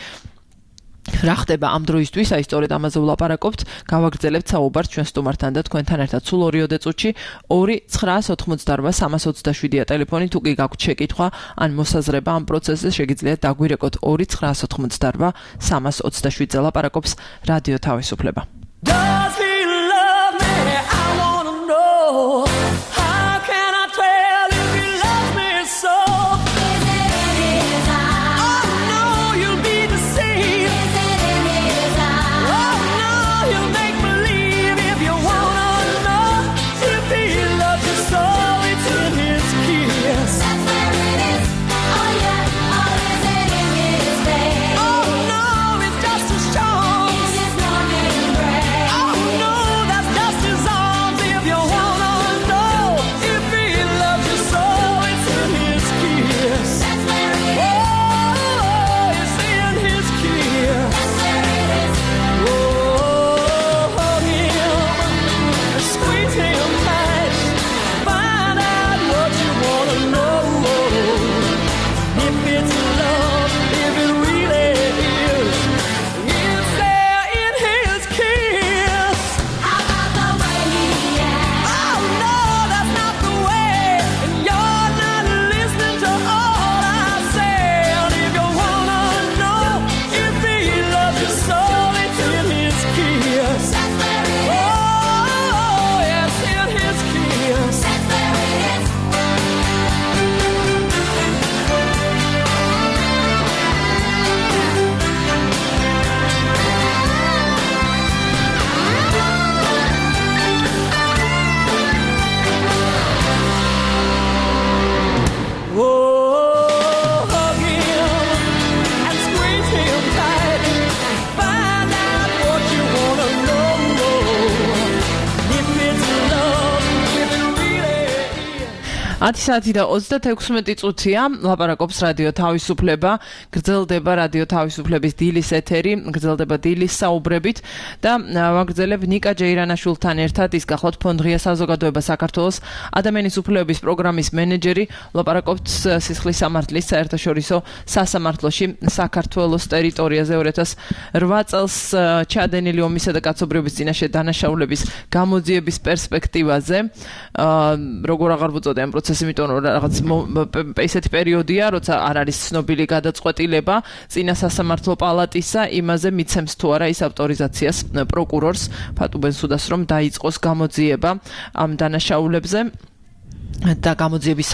რა ხდება ამ დროისთვის, აი სწორედ ამაზე ვლაპარაკობთ. გავაგრძელებთ საუბარს ჩვენ სტუმართან და თქვენთან ერთად სულ 2 წუთში. 2-988-327-ია ტელეფონი, თუ კი გაქვთ შეკითხვა ან მოსაზრება ამ პროცესზე, შეგიძლიათ დაგვირეკოთ 2-988-327-ზე. ლაპარაკობს რადიო თავისუფლება. Does he love me? I wanna know. How can I tell if he 10 საათი და 36 წუთია, ლაპარაკობს რადიო თავისუფლება, გრძელდება რადიო თავისუფლების დილის ეთერი, გრძელდება დილის საუბრებით და ვაგრძელებ ნიკა ჯეირანაშვილთან ერთად ის გახლავთ ფონდღია საზოგადოება საქართველოს ადამიანის უფლებების პროგრამის მენეჯერი, ლაპარაკობთ სისხლის სამართლის საერთაშორისო სასამართლოში საქართველოს ტერიტორიაზე 2008 წელს ჩადენილი ომისა და კაცობრიობის წინაშე დანაშაულების გამოძიების პერსპექტივაზე, როგორ აღარ ვუწოდე ამ პროცესი, იმიტომ რომ რაღაც ესეთი პერიოდია, როცა არ არის ცნობილი გადაწყვეტილება წინა სასამართლო პალატისა, იმაზე მიცემს თუ არა ის ავტორიზაციას პროკურორს ფატუ ბენსუდას, რომ დაიწყოს გამოძიება ამ დანაშაულებზე. და გამოძიების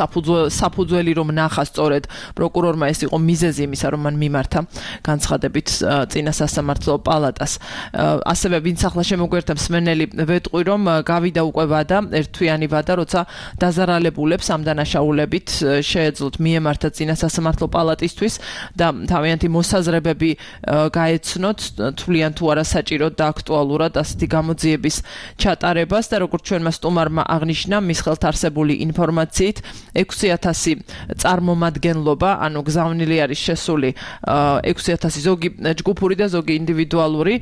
საფუძველი რომ ნახა სწორედ პროკურორმა ეს იყო მიზეზი იმისა, რომ მან მიმართა განცხადებით წინა სასამართლო პალატას. ასევე ვინც ახლა შემოგვერთა მსმენელი ვეტყვი, რომ გავიდა უკვე ვადა, ერთთვიანი ვადა, როცა დაზარალებულებს ამ დანაშაულებით შეეძლოთ მიემართა წინა სასამართლო პალატისთვის და თავიანთი მოსაზრებები გაეცნოთ, თვლიან თუ არა საჭიროდ და აქტუალურად ასეთი გამოძიების ჩატარებას და როგორც ჩვენმა სტუმარმა აღნიშნა, მის ხელთ არსებული ინფორმაციით 6000 წარმომადგენლობა, ანუ გზავნილი არის შესული 6000 ზოგი ჯგუფური და ზოგი ინდივიდუალური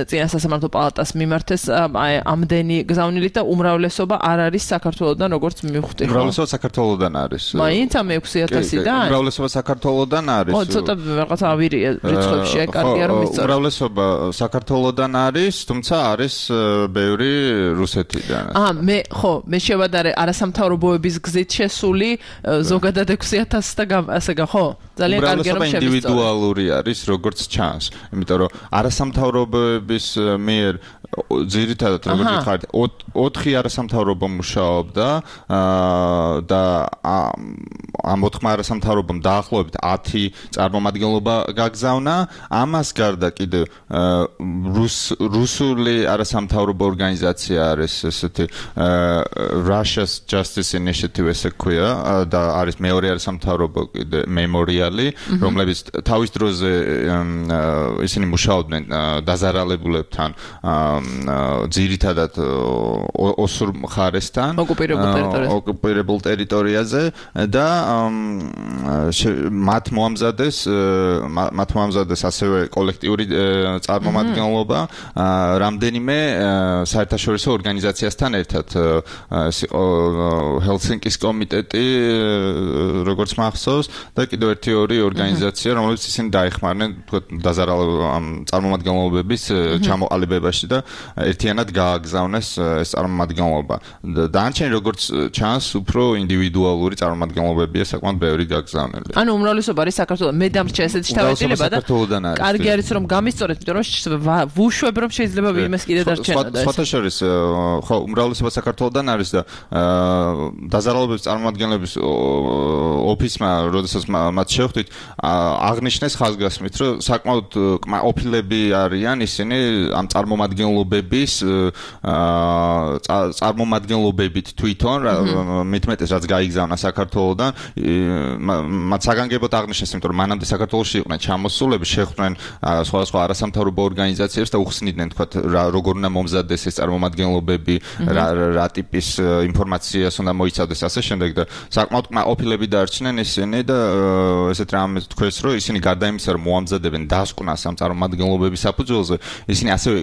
წინა სასამართლო პალატას მიმართეს ამდენი გზავნილით და უმრავლესობა არ არის საქართველოდან, როგორც მივხვდი.
უმრავლესობა საქართველოდან არის.
მაინც ამ 6000-დან?
უმრავლესობა საქართველოდან არის.
ცოტა რაღაც ავირია რიცხვებში, კარგია რომ იცოდი.
უმრავლესობა საქართველოდან არის, თუმცა არის ბევრი რუსეთიდან.
მე შევადარე არასამთავრობოების გზით შესული ზოგადად 6000 და ასე ხო? ძალიან კარგია რომ შევისწორე.
ინდივიდუალური არის, როგორც ჩანს. იმიტომ რომ არასამთავრობოების მიერ ძირითადად როგორც ვიხარით 4 არასამთავრობო მუშაობდა და ამ 4 არასამთავრობომ დაახლოებით 10 წარმომადგენლობა გაგზავნა. ამას გარდა კიდევ რუსული არასამთავრობო ორგანიზაცია არის ესეთი Russia's Justice Initiative ესე ქვია და არის მეორე არასამთავრობო კიდე მემორიალი, რომლებიც თავის დროზე ისინი მუშაობდნენ დაზარალებულებთან ძირითადად ოსურ მხარესთან, ოკუპირებულ ტერიტორიაზე და მათ მოამზადეს ასევე კოლექტიური წარმომადგენლობა რამდენიმე საერთაშორისო ორგანიზაციასთან ერთად. ჰელსინკის კომიტეტი, როგორც მახსოვს, და კიდევ ერთი-ორი ორგანიზაცია, რომლებიც ისინი დაეხმარნენ წარმომადგენლობების ჩამოყალიბებაში და ერთიანად გააგზავნეს ეს წარმომადგენლობა. დანარჩენი როგორც ჩანს, უფრო ინდივიდუალური წარმომადგენლობებია საკმაოდ ბევრი გაგზავნილი.
ანუ უმრავლესობა არის საქართველოს. მე დამრჩა ესეთი თავისუფლება და კარგი არის რომ გამისწორეთ, იმიტომ რომ ვუშვებ რომ შეიძლება ვინმეს კიდე დარჩენა და
სხვათა შორის ხო უმრავლესობა საქართველოსდან არის და დაზარალებების წარმომადგენლების ოფისმა, როდესაც მათ შევხვდით, აღნიშნეს ხაზგასმით, რომ საკმაოდ ყოფილები არიან ისინი ამ წარმომადგენლობების წარმომადგენლობებით თვითონ, მitmetes რაც გაიგზავნა საქართველოსდან, მათ საგანგებოდ აღნიშნეს, იმიტომ რომ მანამდე საქართველოში იყვნენ ჩამოსულები, შეხვდნენ სხვადასხვა არასამთავრობო ორგანიზაციებს და უხსნიდნენ, თქვათ, როგორ უნდა მომზადდეს ეს წარმომადგენლობები, რა ტიპის ინფორმაციას უნდა მოიცავდეს ასე შემდეგ და საკმაოდ ყოფილები დარჩნენ ისინი და ესეთ რამეს თქვეს, რომ ისინი გარდა იმისა, რომ მოამზადებენ დასკვნას ამ წარმომადგენლობების საფუძველზე, ისინი ასევე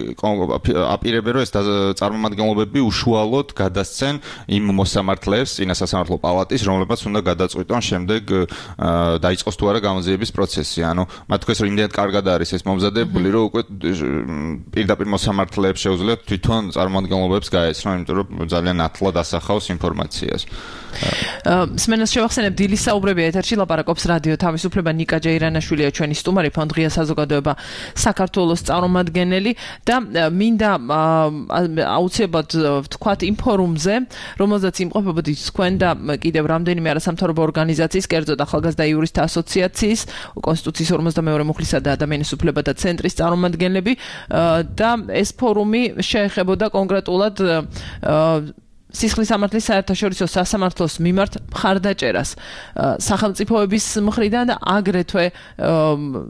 აპირებენ, რომ ეს წარმომადგენლობები უშუალოდ გადასცენ იმ მოსამართლეებს წინა სასამართლო პალატის, რომლებაც უნდა გადაწყვიტონ შემდეგ დაიწყოს თუ არა გამოძიების პროცესი. ანუ მათ თქვეს, რომ იმდენად კარგად არის ეს მომზადებული, რომ უკვე პირდაპირ მოსამართლეებს შეუძლიათ თვითონ წარმომადგენლობებს გაეცნონ, იმიტომ რომ ძალიან ათლად ასახავს ინფორმაციას.
მსმენელს შევახსენებ დილის საუბრები ეთერში, ლაპარაკობს რადიო თავისუფლება, ნიკა ჯეირანაშვილია ჩვენი სტუმარი, ფონდღია საზოგადოება საქართველოს წარმომადგენელი და მინდა აუცილებლად ვთქვათ იმ ფორუმზე, რომელზეც იმყოფებოდი თქვენ და კიდევ რამდენიმე არასამთავრობო ორგანიზაციის, კერძოდ ახალგაზრდა იურისტთა ასოციაციის, კონსტიტუციის 52 მუხლისა და ადამიანის უფლებათა ცენტრის წარმომადგენლები და ეს ფორუმი შეეხებოდა კონკრეტულად სისხლის სამართლის საერთაშორისო სასამართლოს მიმართ მხარდაჭერას სახელმწიფოების მხრიდან და აგრეთვე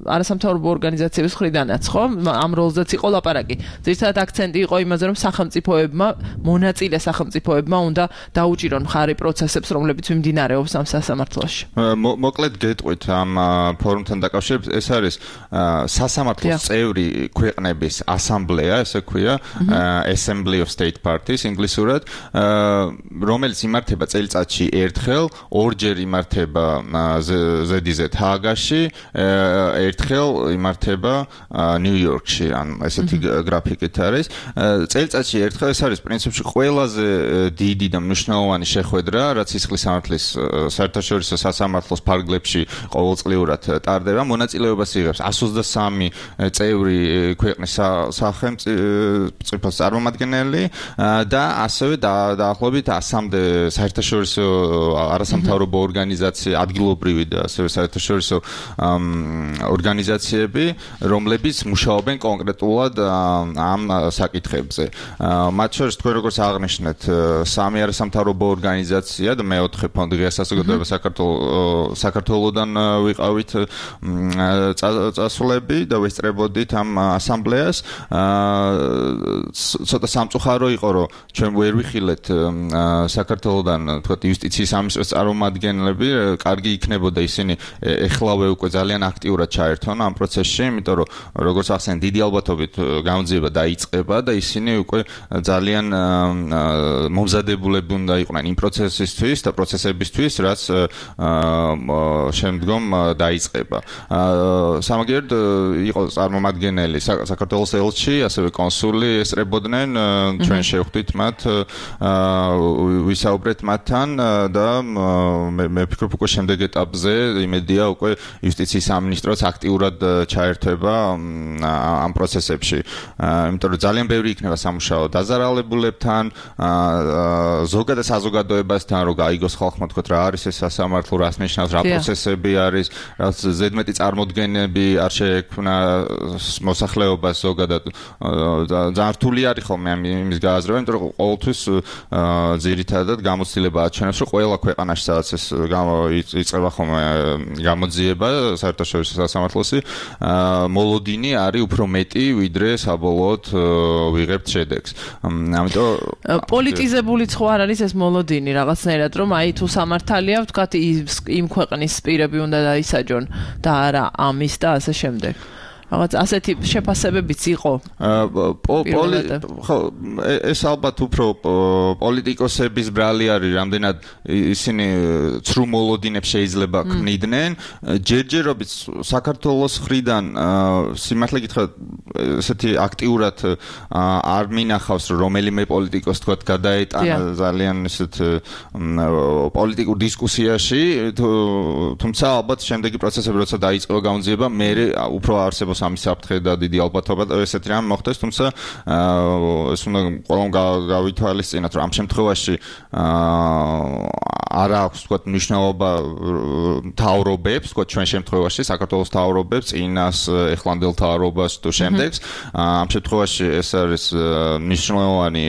არასამთავრობო ორგანიზაციების მხრიდანაც, ხო? ამ როლზეც იყო ლაპარაკი. ზოგადად აქცენტი იყო იმაზე, რომ სახელმწიფოებმა, მონაწილე სახელმწიფოებმა უნდა დაუჭირონ მხარი პროცესებს, რომლებიც მიმდინარეობს ამ სასამართლოში.
მოკლედ გეტყვით ამ ფორუმთან დაკავშირებით, ეს არის სასამართლოს წევრი ქვეყნების ასამბლეა, ესე ქვია, Assembly of State Parties ინგლისურად, რომელიც იმართება წელიწადში ერთხელ, ორჯერ იმართება ZDZ ჰააგაში, ერთხელ იმართება ნიუ-იორკში, ან ესეთი გრაფიკით არის. წელიწადში ერთხელ ეს არის პრინციპში ყველაზე დიდი და მნიშვნელოვანი შეხვედრა, რაც სისხლის სამართლის საერთაშორისო სასამართლოს ფარგლებში ყოველწლიურად ტარდება. მონაწილეობას იღებს 123 წევრი ქვეყნის სახელმწიფოს წარმომადგენელი და ასევე დაახლოებით 100-მდე საერთაშორისო არასამთავრობო ორგანიზაცია, ადგილობრივი და ასევე საერთაშორისო ორგანიზაციები, რომლებიც მუშაობენ კონკრეტულად ამ საკითხებზე. მათ შორის თქვენ როგორც აღნიშნეთ, 3 არასამთავრობო ორგანიზაცია და მე-4 ფონდი ღია საზოგადოება საქართველოდან ვიყავით წასვლები და ვესწრებოდით ამ ასამბლეას. ცოტა სამწუხარო იყო, რომ ჩვენ ვერ ვიხილეთ საქართველოდან, თქვათ, იუსტიციის სამინისტროს წარმომადგენლები, კარგი იქნებოდა ისინი ეხლავე უკვე ძალიან აქტიურად ჩაერთონ ამ პროცესში, იმიტომ რომ როგორც ახსენე, დიდი ალბათობით გამოძიება დაიწყება და ისინი უკვე ძალიან მომზადებულები უნდა იყვნენ იმ პროცესისთვის და პროცესებისთვის, რაც შემდგომ დაიწყება. სამაგიეროდ იყო წარმომადგენელი საქართველოს ელჩი, ასევე კონსული ესწრებოდნენ, ჩვენ შევხვდით მათ, ვისაუბრეთ მათთან და მე ვფიქრობ უკვე შემდეგ ეტაპზე იმედია უკვე იუსტიციის სამინისტროც აქტიურად ჩაერთვება ამ პროცესებში. იმიტომ რომ ძალიან ბევრი იქნება სამუშაო დაზარალებულებთან, ზოგადად საზოგადოებასთან, რომ გაიგოს ხალხმა, თქვათ, რა არის ეს სასამართლო, რას ნიშნავს, რა პროცესები არის, რაც ზედმეტი წარმოდგენები არ შეექმნა მოსახლეობას ზოგადად. ძალიან რთული არის ხოლმე იმის გააზრება, იმიტომ რომ ყოველთვის ძირითადად გამოცდილება აჩვენებს, რომ ყველა ქვეყანაში სადაც ეს იწყება ხოლმე გამოძიება საერთაშორისო სასამართლოსი, მოლოდინი არის უფრო მეტი, ვიდრე საბოლოოდ ვიღებთ შედეგს. ამიტომ
პოლიტიზებული ხო არ არის ეს მოლოდინი რაღაცნაირად, რომ აი თუ სამართალია, ვთქვათ, იმ ქვეყნის პირები უნდა დაისაჯონ და არა ამის და ასე შემდეგ. რაღაც ასეთი შეფასებებიც იყო.
ხო, ეს ალბათ უფრო პოლიტიკოსების ბრალი არის, რამდენად ისინი ცრუ მოლოდინებს შეიძლება ქმნიდნენ. ჯერჯერობით საქართველოს მხრიდან სიმართლე გითხრათ, ესეთი აქტიურად არ მინახავს, რომ რომელიმე პოლიტიკოს თქვათ გადაეტანა ძალიან ესეთ პოლიტიკურ დისკუსიაში, თუმცა ალბათ შემდეგი პროცესები როცა დაიწყო გამოძიება, მე უფრო არსებობს ამის საფრთხე და დიდი ალბათობა ესეთი რამ მოხდეს, თუმცა ეს უნდა ყველამ გავითვალისწინოთ, რომ ამ შემთხვევაში არ აქვს თქვათ მნიშვნელობა მთავრობებს, თქვათ ჩვენ შემთხვევაში საქართველოს მთავრობებს, წინას ეხლანდელ მთავრობას თუ შემდეგს. ამ შემთხვევაში ეს არის მნიშვნელოვანი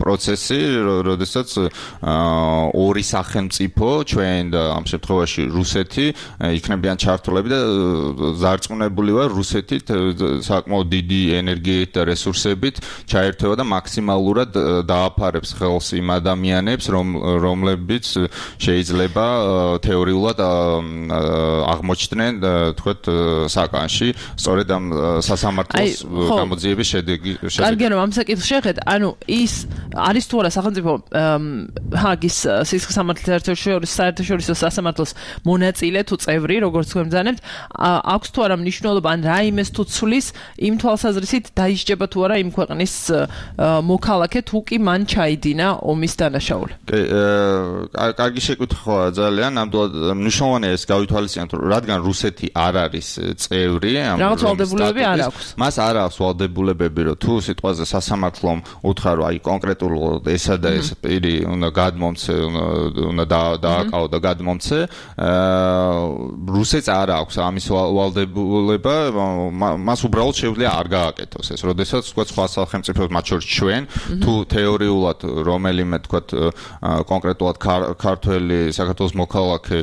პროცესი, როდესაც ორი სახელმწიფო, ჩვენ და ამ შემთხვევაში რუსეთი, იქნებიან ჩართულები და ზარწმუნებული ვარ, რუსეთით საკმაოდ დიდი ენერგიით და რესურსებით ჩაერთვება და მაქსიმალურად დააფარებს ხელს იმ ადამიანებს, რომლებიც შეიძლება თეორიულად აღმოჩნდნენ, თქვათ, საკანში, სწორედ ამ სასამართლოს გამოძიების შედეგი.
კარგი, რომ ამ საკითხს შეხედეთ, ანუ ის არის თუ არა სახელმწიფო ჰააგის სისხლის სამართლის საერთაშორისო სასამართლოს მონაწილე თუ წევრი, როგორც თქვენ ბრძანებთ, აქვს თუ არა მნიშვნელობა, ან რაიმეს თუ ცვლის იმ თვალსაზრისით დაისჯება თუ არა იმ ქვეყნის მოქალაქე, თუ კი მან ჩაიდინა ომის დანაშაული.
კარგი შეკითხვაა ძალიან, ნამდვილად მნიშვნელოვანია ეს გავითვალისწინოთ, რადგან რუსეთი არ არის წევრი,
რაღაც ვალდებულებები არ აქვს.
მას არ აქვს ვალდებულებები, რომ თუ სიტყვაზე სასამართლომ უთხრა, რომ აი კონკრეტულად ესა და ეს პირი უნდა გადმომცე, უნდა დააკავო და გადმომცე, რუსეთს არ აქვს ამის ვალდებულება, მას უბრალოდ შეუძლია არ გააკეთოს ეს. როდესაც თქვა სხვა სახელმწიფოებს, მათ შორის ჩვენ, თუ თეორიულად რომელიმე თქვა კონკრეტულად ქართველი საქართველოს მოქალაქე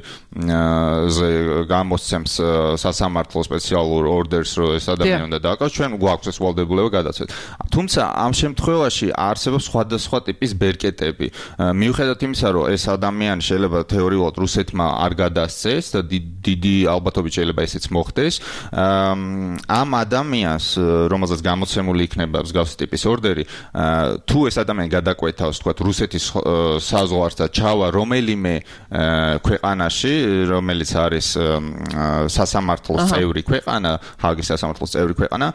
ზე გამოსცემს სასამართლო სპეციალურ ორდერს, რომ ეს ადამიანი უნდა დააკავოს, ჩვენ გვაქვს ეს ვალდებულება გადაცეთ. თუმცა ამ შემთხვევაში არსებობს სხვადასხვა ტიპის ბერკეტები. მიუხედავად იმისა, რომ ეს ადამიანი შეიძლება თეორიულად რუსეთმა არ გადასცეს და დიდი ალბათობით შეიძლება ესეც მოხდეს, ამ ადამიანს, რომელზეც გამოცემული იქნება მსგავსი ტიპის ორდერი, თუ ეს ადამიანი გადაკვეთავს, თქვათ, რუსეთის საზღვარს და ჩავა რომელიმე ქვეყანაში, რომელიც არის სასამართლოს წევრი ქვეყანა, ჰააგის სასამართლოს წევრი ქვეყანა,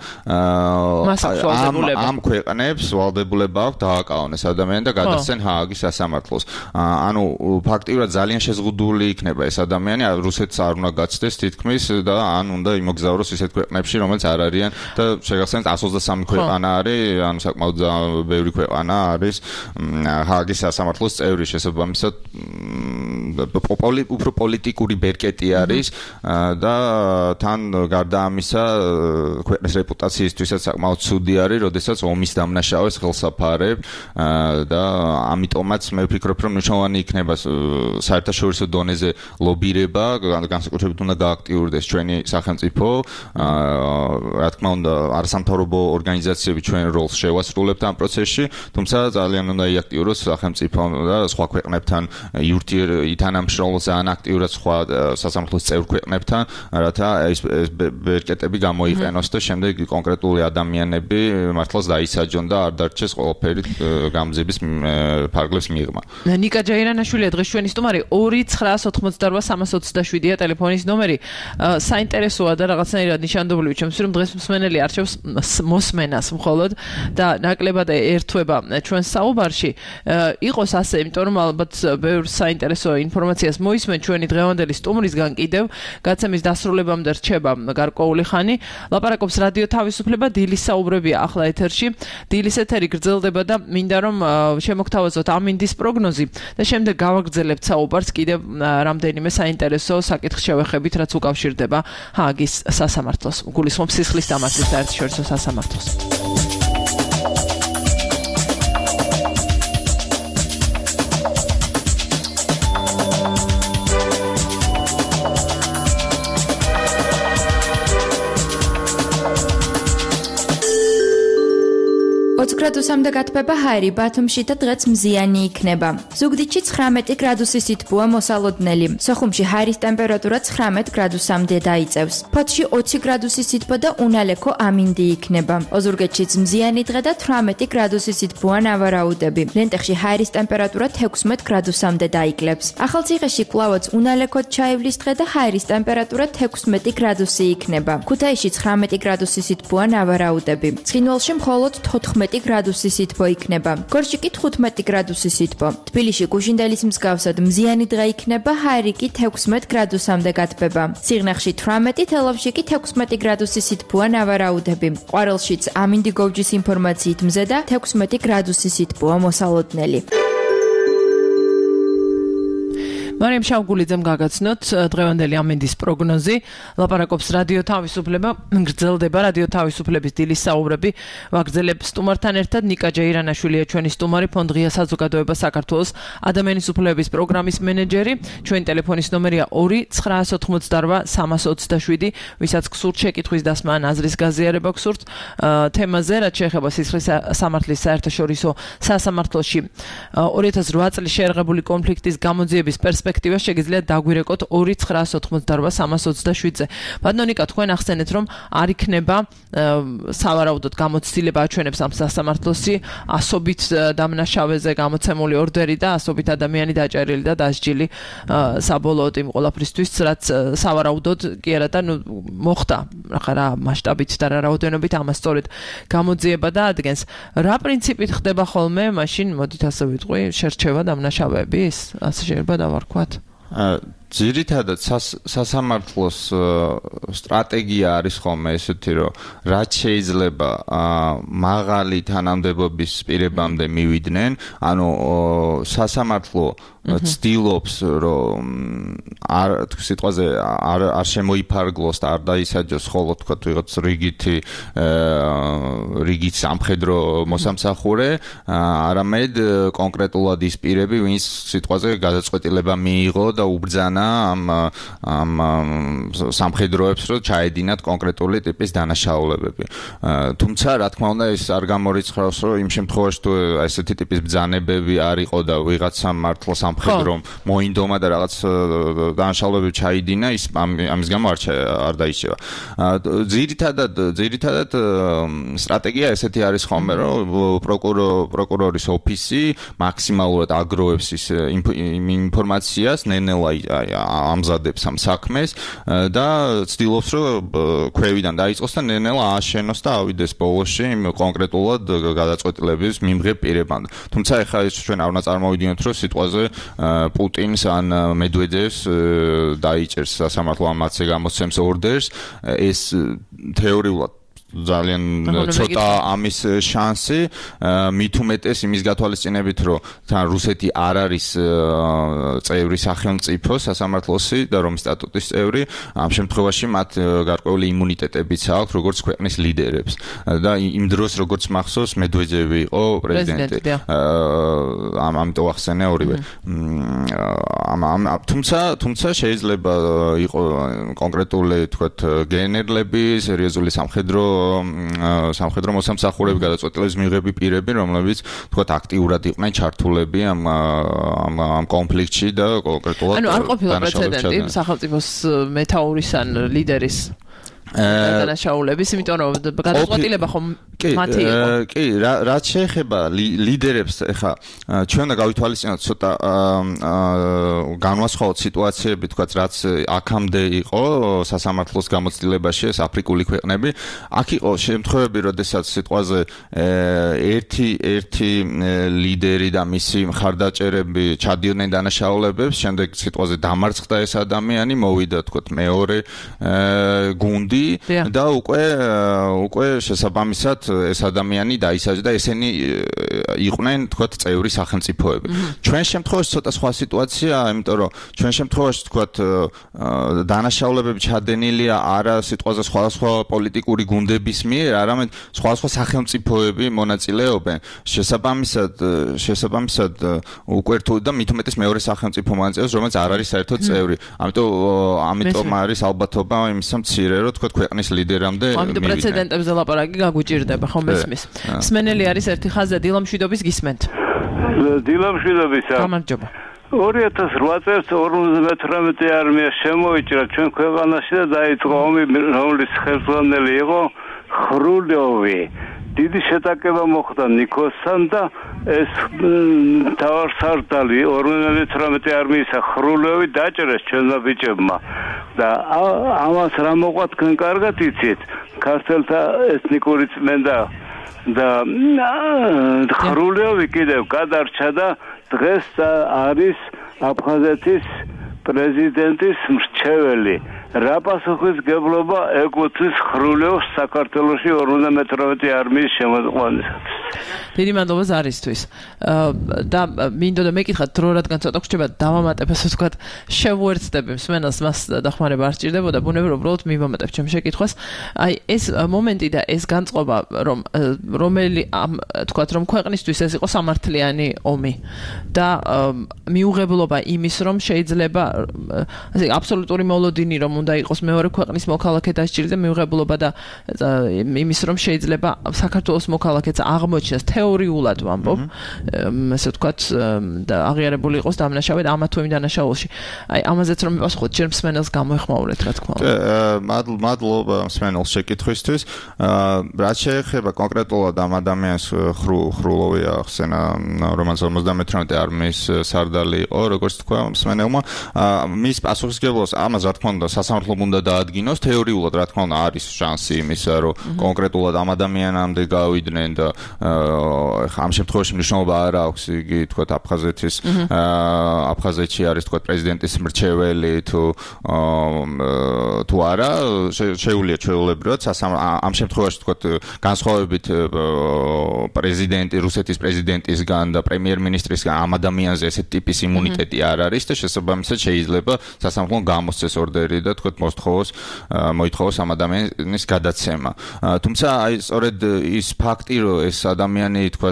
ამ ქვეყნებს ვალდებულება აქვს დააკავონ ეს ადამიანი და გადასცენ ჰააგის სასამართლოს. ანუ ფაქტიურად ძალიან შეზღუდული იქნება ეს ადამიანი, რუსეთს არ უნდა გაცდეს თითქმის და ან უნდა იმოგზაუროს ისეთ ქვეყნებში, რომელიც არ არიან და შეგახსენებთ 123 ქვეყანა არის, ანუ საკმაოდ ბევრი ქვეყანა არის ჰააგის სასამართლოს წევრი, შესაბამისად უფრო პოლიტიკური ბერკეტი არის და თან გარდა ამისა ქვეყნის რეპუტაციისთვისაც საკმაოდ ცუდი არის, როდესაც ომის დამნაშავეს ხელსაფარებ და ამიტომაც მე ვფიქრობ, რომ მნიშვნელოვანი იქნება საერთაშორისო დონეზე ლობირება, განსაკუთრებით უნდა გააქტიურდეს ჩვენი სახელმწიფო, რა თქმა უნდა, არასამთავრობო ორგანიზაციები ჩვენ როლს შევასრულებთ ამ პროცესში, თუმცა ძალიან უნდა იაქტიუროს სახელმწიფო და სხვა ქვეყნებთან ითანამშრომლოს ძალიან აქტიურად სხვა სასამართლოს წევრ ქვეყნებთან, რათა ეს ბერკეტები გამოიყენოს და შემდეგ კონკრეტული ადამიანები მართლაც დაისაჯონ და არ დარჩეს ყველაფერი გამძების ფარგლებს მიღმა.
ნიკა ჯაირანაშვილია დღეს ჩვენი სტუმარი 2988327-ია ტელეფონის ნომერი. საინტერესოა და რაღაცნაირად ნიშანდობლივი ჩემს რომ დღეს მსმენელი არჩევს მოსმენას მხოლოდ და ნაკლებად ერთვება ჩვენს საუბარში. იყოს ასე, იმიტომ რომ ალბათ ბევრ საინტერესო ინფორმაციას მოისმენ ჩვენი დღევანდელი სტუმრისგან კიდევ გაცემის დასრულებამდე რჩება გარკვეული ხანი. ლაპარაკობს რადიო თავისუფლება, დილის საუბრებია ახლა ეთერში. დილის ეთერი გრძელდება და მინდა რომ შემოგთავაზოთ ამინდის პროგნოზი და შემდეგ გავაგრძელებთ საუბარს კიდევ რამდენიმე საინტერესო საკითხს შევეხებით, რაც უკავშირდება ჰააგის სასამართლოს. გულისხმობ სისხლის დამარცხის საერთაშორისო სასამართლოს.
გრადუსამდე გათბება ჰაერი ბათუმში და დღეც მზიანი იქნება. ზუგდიდში 19 გრადუსი სითბოა მოსალოდნელი. სოხუმში ჰაერის ტემპერატურა 19 გრადუსამდე დაიწევს. ფოთში 20 გრადუსი სითბო და უნალექო ამინდი იქნება. ოზურგეთშიც მზიანი დღე და 18 გრადუსი სითბოა ნავარაუდები. ლენტეხში ჰაერის ტემპერატურა 16 გრადუსამდე დაიკლებს. ახალციხეში კვლავაც უნალექოდ ჩაივლის დღე და ჰაერის ტემპერატურა 16 გრადუსი იქნება. ქუთაისში 19 გრადუსი სითბოა ნავარაუდები. ცხინვალში მხოლოდ 14 გრადუსი სითბო იქნება. გორში კი 15 გრადუსი სითბო. თბილისში გუშინდელის მსგავსად მზიანი დღე იქნება, ჰაერი კი 16 გრადუსამდე გათბება. სიღნაღში 18, თელავში კი 16 გრადუსი სითბოა ნავარაუდები. ყვარელშიც ამინდი გოვჯის ინფორმაციით მზე და 16 გრადუსი სითბოა მოსალოდნელი.
მარიამ შავგულიძემ გაგაცნოთ დღევანდელი ამინდის პროგნოზი. ლაპარაკობს რადიო თავისუფლება, გრძელდება რადიო თავისუფლების დილის საუბრები. ვაგრძელებ სტუმართან ერთად ნიკა ჯაირანაშვილია ჩვენი სტუმარი, ფონდ ღია საზოგადოება საქართველოს ადამიანის უფლებების პროგრამის მენეჯერი. ჩვენი ტელეფონის ნომერია 2988327, ვისაც გსურთ შეკითხვის დასმა ან აზრის გაზიარება გსურთ თემაზე, რაც შეეხება სისხლის სამართლის საერთაშორისო სასამართლოში 2008 წლის შეერაღებული კონფლიქტის გამოძიების პერსპექტივას შეგიძლიათ დაგვირეკოთ 2988327-ზე. ბატონო ნიკა, თქვენ ახსენეთ, რომ არ იქნება სავარაუდოდ გამოცდილება აჩვენებს ამ სასამართლოსი ასობით დამნაშავეზე გამოცემული ორდერი და ასობით ადამიანი დაჭერილი და დასჯილი საბოლოოდ იმ ყველაფრისთვის, რაც სავარაუდოდ კი არა და მოხდა რა მასშტაბით და რა რაოდენობით ამას სწორედ გამოძიება და ადგენს. რა პრინციპით ხდება ხოლმე, მაშინ მოდით ასე ვიტყვი, შერჩევა დამნაშავეების? ასე შეიძლება დავარქვათ.
ძირითადად სასამართლოს სტრატეგია არის ხოლმე ესეთი, რომ რაც შეიძლება მაღალი თანამდებობის პირებამდე მივიდნენ, ანუ სასამართლო ცდილობს, რომ სიტყვაზე არ შემოიფარგლოს და არ დაისაჯოს ხოლო თქვა ვიღაც რიგით სამხედრო მოსამსახურე, არამედ კონკრეტულად ის პირები, ვინც სიტყვაზე გადაწყვეტილება მიიღო და უბრძანა ამ სამხედროებს, რომ ჩაედინათ კონკრეტული ტიპის დანაშაულებები. თუმცა, რა თქმა უნდა, ეს არ გამორიცხავს, რომ იმ შემთხვევაში თუ ესეთი ტიპის ბრძანებები არ იყო და ვიღაცა მართლა სამხედრომ მოინდომა და რაღაც დანაშაულებები ჩაიდინა, ის ამის გამო არ დაიშევა. ძირითადად სტრატეგია ესეთი არის ხოლმე, რომ პროკურორის ოფისი მაქსიმალურად აგროვებს ის ინფორმაციას, ნელ-ნელა ამზადებს ამ საქმეს და ცდილობს, რომ ქვევიდან დაიწყოს და ნელ-ნელა ააშენოს და ავიდეს ბოლოში კონკრეტულად გადაწყვეტილების მიმღებ პირებამდე. თუმცა ეხლა ეს ჩვენ არ უნდა წარმოვიდგინოთ, რომ სიტყვაზე პუტინს ან მედვედევს დაიჭერს სასამართლო ამათზე გამოსცემს ორდერს, ეს თეორიულად ძალიან ცოტა ამის შანსი, მით უმეტეს იმის გათვალისწინებით, რომ თან რუსეთი არ არის წევრი სახელმწიფო სასამართლოსი და რომის სტატუტის წევრი, ამ შემთხვევაში მათ გარკვეული იმუნიტეტებიც აქვს, როგორც ქვეყნის ლიდერებს. და იმ დროს, როგორც მახსოვს, მედვედევი იყო პრეზიდენტი. ამიტომ ახსენე ორივე. თუმცა შეიძლება იყო კონკრეტული, თქვათ, გენერლები, სერიოზული სამხედრო მოსამსახურეები გადაწყვეტილების მიღები პირები, რომლებიც თქვათ აქტიურად იყვნენ ჩართულები ამ კონფლიქტში და კონკრეტულად
ანუ არ ყოფილა პრეცედენტი სახელმწიფოს მეთაურის ან ლიდერის დანაშაულების, იმიტომ რომ გადაწყვეტილება ხომ მათი იყო.
კი, რაც შეეხება ლიდერებს, ეხა ჩვენ უნდა გავითვალისწინოთ ცოტა განვასხვაოთ სიტუაციები, თქვათ, რაც აქამდე იყო სასამართლოს გამოცდილებაში, ეს აფრიკული ქვეყნები. აქ იყო შემთხვევები, როდესაც სიტყვაზე ერთი ლიდერი და მისი მხარდაჭერები ჩადიოდნენ დანაშაულებებს, შემდეგ სიტყვაზე დამარცხდა ეს ადამიანი, მოვიდა, თქვათ, მეორე გუნდი და უკვე შესაბამისად ეს ადამიანი დაისაჯა და ესენი იყვნენ, თქვათ, წევრი სახელმწიფოები. ჩვენ შემთხვევაში ცოტა სხვა სიტუაციაა, იმიტომ რომ ჩვენ შემთხვევაში, თქვათ, დანაშაულებები ჩადენილია არა სიტყვაზე სხვადასხვა პოლიტიკური გუნდების მიერ, არამედ სხვადასხვა სახელმწიფოები მონაწილეობენ. შესაბამისად უკვე რთულ და მით უმეტეს მეორე სახელმწიფო მონაწილეობს, რომელიც არ არის საერთოდ წევრი. ამიტომ არის ალბათობა იმისა მცირე, რომ თქვათ ქვეყნის ლიდერამდე
ამიტომ პრეცედენტებზე ლაპარაკი გაგვიჭირდება, ხომ მესმის. სმენელი არის ერთი ხაზზე, დილამშვიდობის გისმენთ.
დილამშვიდობისა.
გამარჯობა.
2008 წელს 58 არმია შემოიჭრა ჩვენ ქვეყანაში და დაიწყო ომი, რომლის ხელმძღვანელი იყო ხრულიოვი. დიდი შეტაკება მოხდა ნიკოსთან და ეს თავარსარდალი 58 არმიისა ხრულიოვი დაჭრეს ჩვენმა ბიჭებმა. და ამას რა მოყვა თქვენ კარგად იცით, ქართველთა ეთნიკური წმენდა და ხრულიოვი კიდევ გადარჩა და დღეს არის აფხაზეთის პრეზიდენტის მრჩეველი. რა პასუხისმგებლობა ეკუთვნის ხრულიოვს საქართველოში 58 არმიის შემოყვანისათვის?
დიდი მადლობა ზარისთვის. და მინდოდა მეკითხათ, დრო რადგან ცოტა გრჩება დავამატებ, ასე ვთქვათ, შევუერთდები მსმენელს, მას დახმარება არ სჭირდებოდა, ბუნებრივად უბრალოდ მივამატებ ჩემ შეკითხვას. აი ეს მომენტი და ეს განწყობა, რომელი ვთქვათ, რომ ქვეყნისთვის ეს იყო სამართლიანი ომი და მიუღებლობა იმის, რომ შეიძლება ასე აბსოლუტური მოლოდინი, რომ უნდა იყოს მეორე ქვეყნის მოქალაქე დასჭირდა, მიუღებლობა და იმის, რომ შეიძლება საქართველოს მოქალაქეც აღმოჩნდეს თეორიულად ვამბობ, ასე ვთქვათ, და აღიარებული იყოს დამნაშავედ ამა თუ იმ დანაშაულში. აი, ამაზეც რომ მიპასუხოთ, ჯერ მსმენელს გამოეხმაურეთ, რა თქმა უნდა.
მადლობა მსმენელს შეკითხვისთვის. რაც შეეხება კონკრეტულად ამ ადამიანს ხრულოვი ახსენა, რომელიც 58 არმიის სარდალი იყო, როგორც თქვა მსმენელმა, მის პასუხისმგებლობას ამას რა თქმა უნდა სასამართლომ უნდა დაადგინოს თეორიულად რა თქმა უნდა არის შანსი იმისა რომ კონკრეტულად ამ ადამიანამდე გავიდნენ და ამ შემთხვევაში მნიშვნელობა არ აქვს იგი თქვა აფხაზეთში არის თქვა პრეზიდენტის მრჩეველი თუ არა შეუძლია ჩვეულებრივად ამ შემთხვევაში თქვა განსხვავებით პრეზიდენტი რუსეთის პრეზიდენტისგან და პრემიერ-მინისტრისგან ამ ადამიანზე ესეთ ტიპის იმუნიტეტი არ არის და შესაბამისად შეიძლება სასამართლომ გამოსცეს ორდერი და თქვა მოითხოვოს ამ ადამიანის გადაცემა. თუმცა აი სწორედ ის ფაქტი რომ ეს ადამიანი თქვა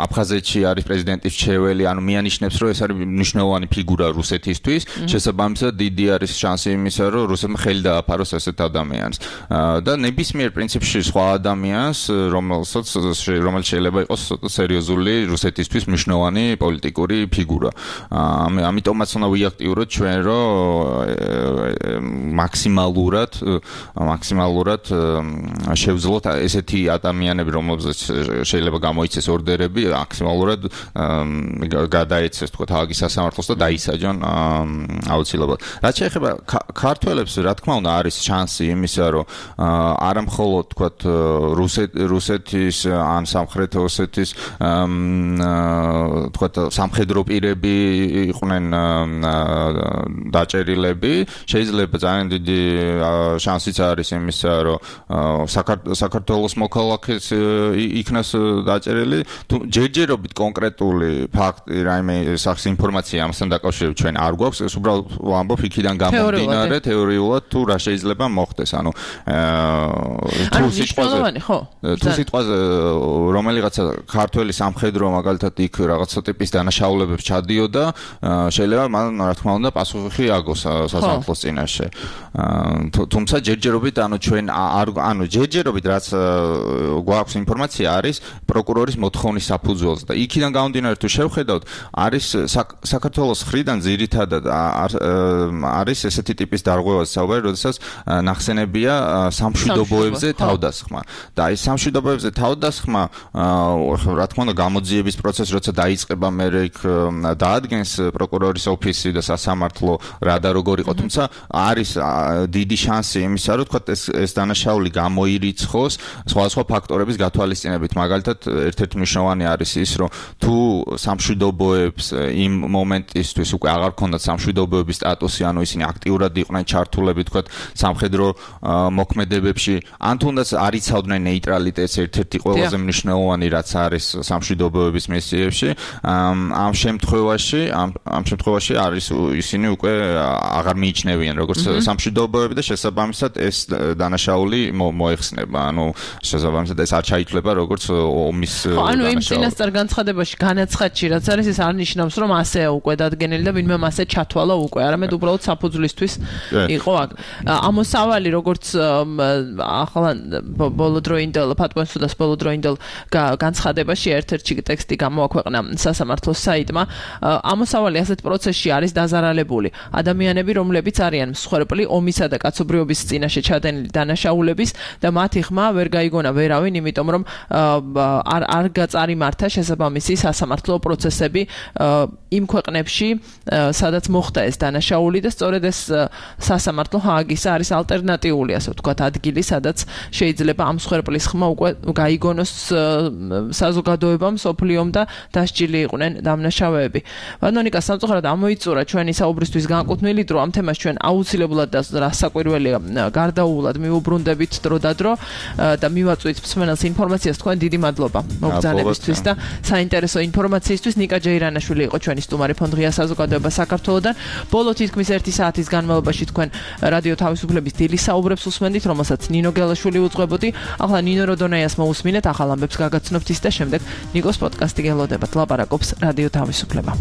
აფხაზეთში არის პრეზიდენტის მრჩეველი, ანუ მიანიშნებს რომ ეს არის მნიშვნელოვანი ფიგურა რუსეთისთვის, შესაბამისად დიდი არის შანსი იმისა რომ რუსეთმა ხელი დააფაროს ესეთ ადამიანს. და ნებისმიერ პრინციპში სხვა ადამიანს, რომელიც შეიძლება იყოს სერიოზული რუსეთისთვის მნიშვნელოვანი პოლიტიკური ფიგურა. ამიტომაც უნდა ვიაქტიუროთ ჩვენ რომ მაქსიმალურად შევძლოთ ესეთი ადამიანები, რომლებზეც შეიძლება გამოიცეს ორდერები, მაქსიმალურად გადაეცეს თქვა ჰააგის სასამართლოს და დაისაჯონ აუცილებლად. რაც შეეხება ქართველებს, რა თქმა უნდა არის შანსი იმისა, რომ არა მხოლოდ თქვა რუსეთის ან სამხრეთ ოსეთის თქვა სამხედრო პირები იყვნენ დაჭერილები, შეიძლება ძალიან დიდი შანსიც არის იმისა, რომ საქართველოს მოქალაქეს იქნას დაჭერილი, ჯერჯერობით კონკრეტული ფაქტი, რაიმე სახის ინფორმაცია ამასთან დაკავშირებით ჩვენ არ გვაქვს, ეს უბრალოდ ვამბობ იქიდან გამომდინარე თეორიულად თუ რა შეიძლება მოხდეს, ანუ თუ სიტყვაზე რომელიღაცა ქართველი სამხედრო მაგალითად იქ რაღაცა ტიპის დანაშაულებებს ჩადიოდა, შეიძლება მან რა თქმა უნდა პასუხი აგოს სასამართლოს წინაშე. თუმცა ჯერჯერობით ჯერჯერობით რაც გვაქვს ინფორმაცია არის პროკურორის მოთხოვნის საფუძველზე და იქიდან გამომდინარე თუ შევხედავთ არის საქართველოს მხრიდან ძირითადად არის ესეთი ტიპის დარღვევას საუბარი, როდესაც ნახსენებია სამშვიდობოებზე თავდასხმა და აი სამშვიდობოებზე თავდასხმა რა თქმა უნდა გამოძიების პროცესი როცა დაიწყება მე იქ დაადგენს პროკურორის ოფისი და სასამართლო რა და როგორ იყო, თუმცა არის დიდი შანსი იმისა, რომ თქვა ეს დანაშაული გამოირიცხოს სხვადასხვა ფაქტორების გათვალისწინებით. მაგალითად, ერთ-ერთი მნიშვნელოვანი არის ის, რომ თუ სამშვიდობოებს იმ მომენტისთვის უკვე აღარ ქონდათ სამშვიდობოების სტატუსი, ანუ ისინი აქტიურად იყვნენ ჩართულები თქვა სამხედრო მოქმედებებში, ან თუნდაც არ იცავდნენ ნეიტრალიტეტს, ერთ-ერთი ყველაზე მნიშვნელოვანი რაც არის სამშვიდობოების მისიებში, ამ შემთხვევაში არის ისინი უკვე აღარ მიიჩნევიან როგორც სამშვიდობოები და შესაბამისად ეს დანაშაული მოეხსნება, ანუ შესაბამისად ეს არ ჩაითვლება როგორც ომის დანაშაული.
ანუ იმ წინასწარ განცხადებაში განაცხადში რაც არის ეს არ ნიშნავს რომ ასეა უკვე დადგენილი და ვინმე მასე ჩათვალა უკვე, არამედ უბრალოდ საფუძვლისთვის იყო აქ. ამოსავალი როგორც ახლა ბოლოდროინდელ ფატონსუდას ბოლოდროინდელ განცხადებაში ერთ-ერთი ტექსტი გამოაქვეყნა სასამართლოს საიტმა, ამოსავალი ასეთ პროცესში არის დაზარალებული ადამიანები, რომლებიც არიან მსხვერპლი ომისა და კაცობრიობის წინაშე ჩადენილი დანაშაულების და მათი ხმა ვერ გაიგონა ვერავინ, იმიტომ რომ არ გაწარიმართა შესაბამისი სასამართლო პროცესები იმ ქვეყნებში, სადაც მოხდა ეს დანაშაული და სწორედ ეს სასამართლო ჰააგის არის ალტერნატიული, ასე ვთქვათ, ადგილი, სადაც შეიძლება ამ მსხვერპლის ხმა უკვე გაიგონოს საზოგადოებამ, სოფლიომ და დასჯილი იყვნენ დამნაშავეები. ბატონიკა, სამწუხაროდ ამოიწურა ჩვენი საუბრისთვის განკუთვნილი დრო, ამ თემას ჩვენ აუცილებლად და რასაკვირველია გარდაუულად მივუბრუნდებით დრო და დრო და მივაწვით მსმენელს ინფორმაციას. თქვენ დიდი მადლობა მოგზაურობისთვის და საინტერესო ინფორმაციისთვის. ნიკა ჯეირანაშვილი იყო ჩვენი სტუმარი ფონდღია საზოგადოება საქართველოდან. ბოლო თითქმის 1 საათის განმავლობაში თქვენ რადიო თავისუფლების დილის საუბრებს უსმენდით, რომელსაც ნინო გელაშვილი უძღვებოდი. ახლა ნინო როდონაიას მოусმინეთ, ახალ ამბებს გაგაცნობთ ის და შემდეგ ნიკოს პოდკასტი გელოდებათ. ლაპარაკობს რადიო თავისუფლება.